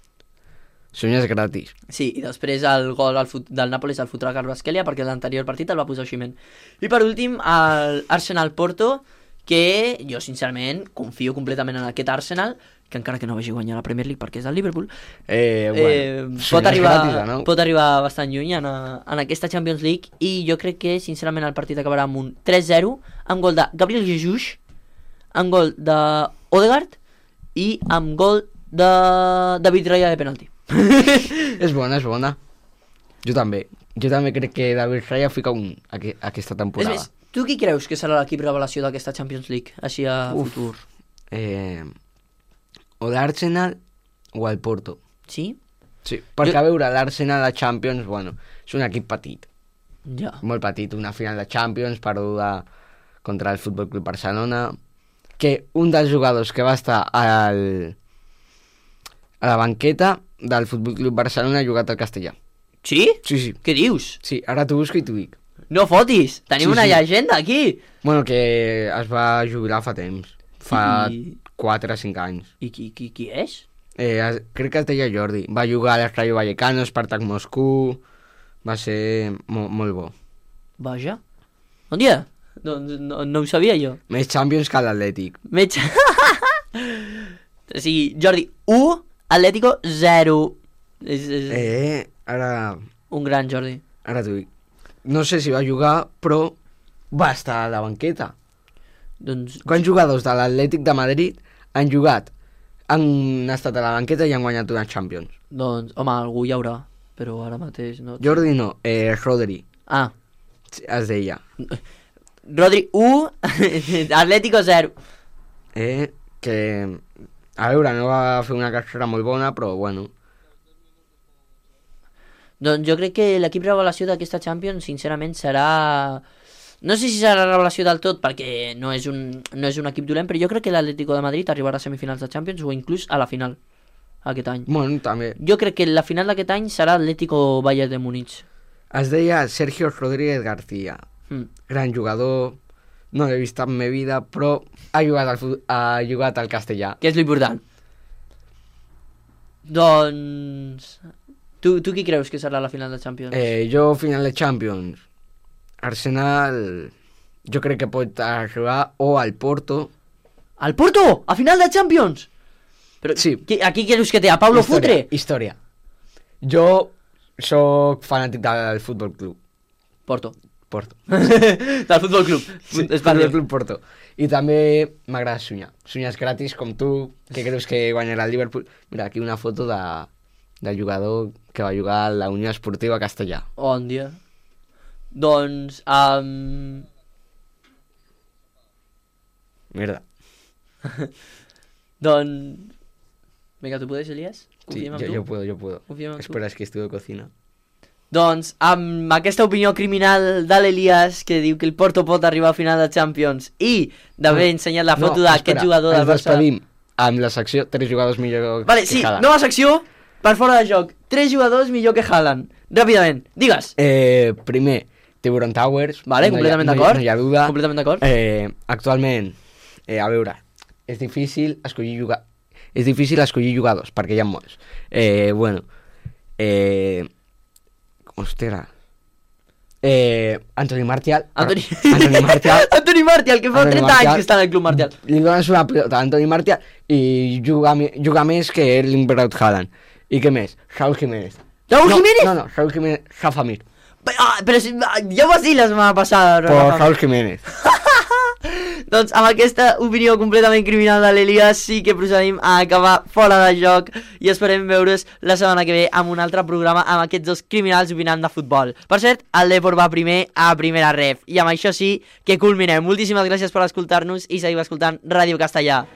[SPEAKER 3] sueños gratis.
[SPEAKER 2] Sí, i després el gol al fut, del Nàpoles el fotrà Kvaratskhelia perquè l'anterior partit el va posar Osimhen. I per últim, el Arsenal-Porto, que jo sincerament confio completament en aquest Arsenal, que encara que no vagi guanyar la Premier League perquè és del Liverpool,
[SPEAKER 3] Eh,
[SPEAKER 2] eh,
[SPEAKER 3] bueno,
[SPEAKER 2] pot,
[SPEAKER 3] sueños
[SPEAKER 2] arribar,
[SPEAKER 3] gratis, ¿no?
[SPEAKER 2] pot arribar bastant lluny en, en aquesta Champions League, i jo crec que sincerament el partit acabarà amb un tres zero, amb gol de Gabriel Jesus, amb gol de Odegaard i amb gol de David Raya de penalti.
[SPEAKER 3] És bona, és bona. Jo també. Jo també crec que David Raya fica un aqu aquesta
[SPEAKER 2] És
[SPEAKER 3] temporada.
[SPEAKER 2] més, tu qui creus que serà l'equip revelació d'aquesta Champions League, així a
[SPEAKER 3] Uf.
[SPEAKER 2] futur?
[SPEAKER 3] Eh, o l'Arsenal o el Porto.
[SPEAKER 2] Sí?
[SPEAKER 3] Sí, perquè
[SPEAKER 2] Jo-
[SPEAKER 3] a veure, l'Arsenal a Champions, bueno, és un equip petit,
[SPEAKER 2] Ja.
[SPEAKER 3] molt petit, una final de Champions perduda contra el Futbol Club Barcelona, que un dels jugadors que va estar al, a la banqueta del Futbol Club Barcelona ha jugat al Castellà.
[SPEAKER 2] Sí?
[SPEAKER 3] Sí, sí.
[SPEAKER 2] Què dius?
[SPEAKER 3] Sí, ara t'ho busco i t'ho dic.
[SPEAKER 2] No fotis! Tenim
[SPEAKER 3] Sí,
[SPEAKER 2] una
[SPEAKER 3] sí.
[SPEAKER 2] llegenda aquí!
[SPEAKER 3] Bueno, que es va jubilar fa temps, fa
[SPEAKER 2] I,
[SPEAKER 3] quatre o cinc anys.
[SPEAKER 2] i qui, qui, qui és?
[SPEAKER 3] Eh, es, crec que es deia Jordi. Va jugar a l'Rayo Vallecano, Spartak Moscou... Va ser mo molt bo.
[SPEAKER 2] Vaja. Bon dia. Doncs no, no ho sabia jo.
[SPEAKER 3] Més Champions que l'Atlètic.
[SPEAKER 2] Metge. O sigui, Jordi, u, Atlético, zero. És, és
[SPEAKER 3] Eh, ara...
[SPEAKER 2] un gran Jordi.
[SPEAKER 3] Ara t'ho dic. No sé si va jugar, però va estar a la banqueta.
[SPEAKER 2] Doncs,
[SPEAKER 3] Quants jugadors de l'Atlètic de Madrid han jugat, han estat a la banqueta i han guanyat una Champions?
[SPEAKER 2] doncs, home, algú hi haurà, però ara mateix no.
[SPEAKER 3] Jordi no, eh, Rodri,
[SPEAKER 2] Ah,
[SPEAKER 3] es deia.
[SPEAKER 2] Rodri, u, Atlético, zero.
[SPEAKER 3] Eh, que... A veure, no va fer una carrera molt bona, però bueno...
[SPEAKER 2] Doncs jo crec que l'equip revelació d'aquesta Champions, sincerament, serà... No sé si serà revelació del tot, perquè no és un, no és un equip dolent, però jo crec que l'Atlético de Madrid arribarà a semifinals de Champions o inclús a la final. aquest any.
[SPEAKER 3] Bueno, també.
[SPEAKER 2] Jo crec que la final d'aquest any serà Atlético Bayern de Múnich.
[SPEAKER 3] Es deia Sergio Rodríguez García.
[SPEAKER 2] Mm.
[SPEAKER 3] Gran jugador, no l'he vist en ma vida, però ha jugat al, fu- ha jugat al castellà.
[SPEAKER 2] Que és l'important. Doncs... Tu, tu qui creus que serà la final de Champions?
[SPEAKER 3] Eh, jo, final de Champions, Arsenal, jo crec que pot arribar o al Porto.
[SPEAKER 2] Al Porto! A final de Champions! Però
[SPEAKER 3] Sí.
[SPEAKER 2] qui, aquí creus que té? A Pablo
[SPEAKER 3] història,
[SPEAKER 2] Futre?
[SPEAKER 3] Història. Jo sóc fanàtic del Futbol Club
[SPEAKER 2] Porto.
[SPEAKER 3] Porto.
[SPEAKER 2] Del Futbol Club.
[SPEAKER 3] Sí,
[SPEAKER 2] Espanya.
[SPEAKER 3] Futbol Club Porto. I també m'agrada somiar. Somiar gratis com tu, que creus que guanyarà el Liverpool. Mira, aquí una foto de, del jugador que va jugar a la Unió Esportiva Castellà.
[SPEAKER 2] On dia. Doncs... Um...
[SPEAKER 3] Merda.
[SPEAKER 2] Doncs... Vinga, tu puedes, Elias?
[SPEAKER 3] Sí,
[SPEAKER 2] Confiem en
[SPEAKER 3] yo,
[SPEAKER 2] tu?
[SPEAKER 3] yo puedo, yo puedo.
[SPEAKER 2] Confiem en tu?
[SPEAKER 3] Espera, es que estudio cocina.
[SPEAKER 2] Doncs, amb aquesta opinió criminal de l'Elias, que diu que el Porto pot arribar a final de Champions, i d'haver ensenyat la foto
[SPEAKER 3] No,
[SPEAKER 2] d'aquest
[SPEAKER 3] espera,
[SPEAKER 2] jugador del
[SPEAKER 3] ens
[SPEAKER 2] Barça...
[SPEAKER 3] despedim amb la secció tres jugadors millor
[SPEAKER 2] Vale,
[SPEAKER 3] que
[SPEAKER 2] sí,
[SPEAKER 3] Haaland.
[SPEAKER 2] nova secció, per fora de joc. Tres jugadors millor que Haaland. Ràpidament, digues.
[SPEAKER 3] Eh, primer, Tiburon Towers.
[SPEAKER 2] Vale,
[SPEAKER 3] no
[SPEAKER 2] completament
[SPEAKER 3] hi ha,
[SPEAKER 2] d'acord.
[SPEAKER 3] No, hi ha duda.
[SPEAKER 2] Completament d'acord.
[SPEAKER 3] Eh, actualment, eh, a veure, és difícil escollir jugar... És difícil escollir jugadors, perquè hi ha molts. Eh, bueno, eh... Ostres. Eh, Anthony Martial.
[SPEAKER 2] Anthony...
[SPEAKER 3] Anthony Martial.
[SPEAKER 2] Anthony Martial, que fa
[SPEAKER 3] Anthony
[SPEAKER 2] trenta
[SPEAKER 3] Martial.
[SPEAKER 2] anys que està en el Club Martial.
[SPEAKER 3] Li dones una pilota a Anthony Martial i juga, mi- juga més que Erling Braut Haaland. I què més? Raúl Jiménez.
[SPEAKER 2] Raúl
[SPEAKER 3] no,
[SPEAKER 2] Jiménez?
[SPEAKER 3] No, no, Raúl Jiménez, Rafa Mir.
[SPEAKER 2] Ah, però si, ah, ja ho vas dir la setmana passada.
[SPEAKER 3] Por
[SPEAKER 2] Rafa.
[SPEAKER 3] Raúl Jiménez.
[SPEAKER 2] Doncs amb aquesta opinió completament criminal de l'Elias sí que procedim a acabar fora de joc i esperem veure's la setmana que ve amb un altre programa amb aquests dos criminals opinant de futbol. Per cert, el Depor va primer a primera ref i amb això sí que culminem. Moltíssimes gràcies per escoltar-nos i seguim escoltant Ràdio Castellà.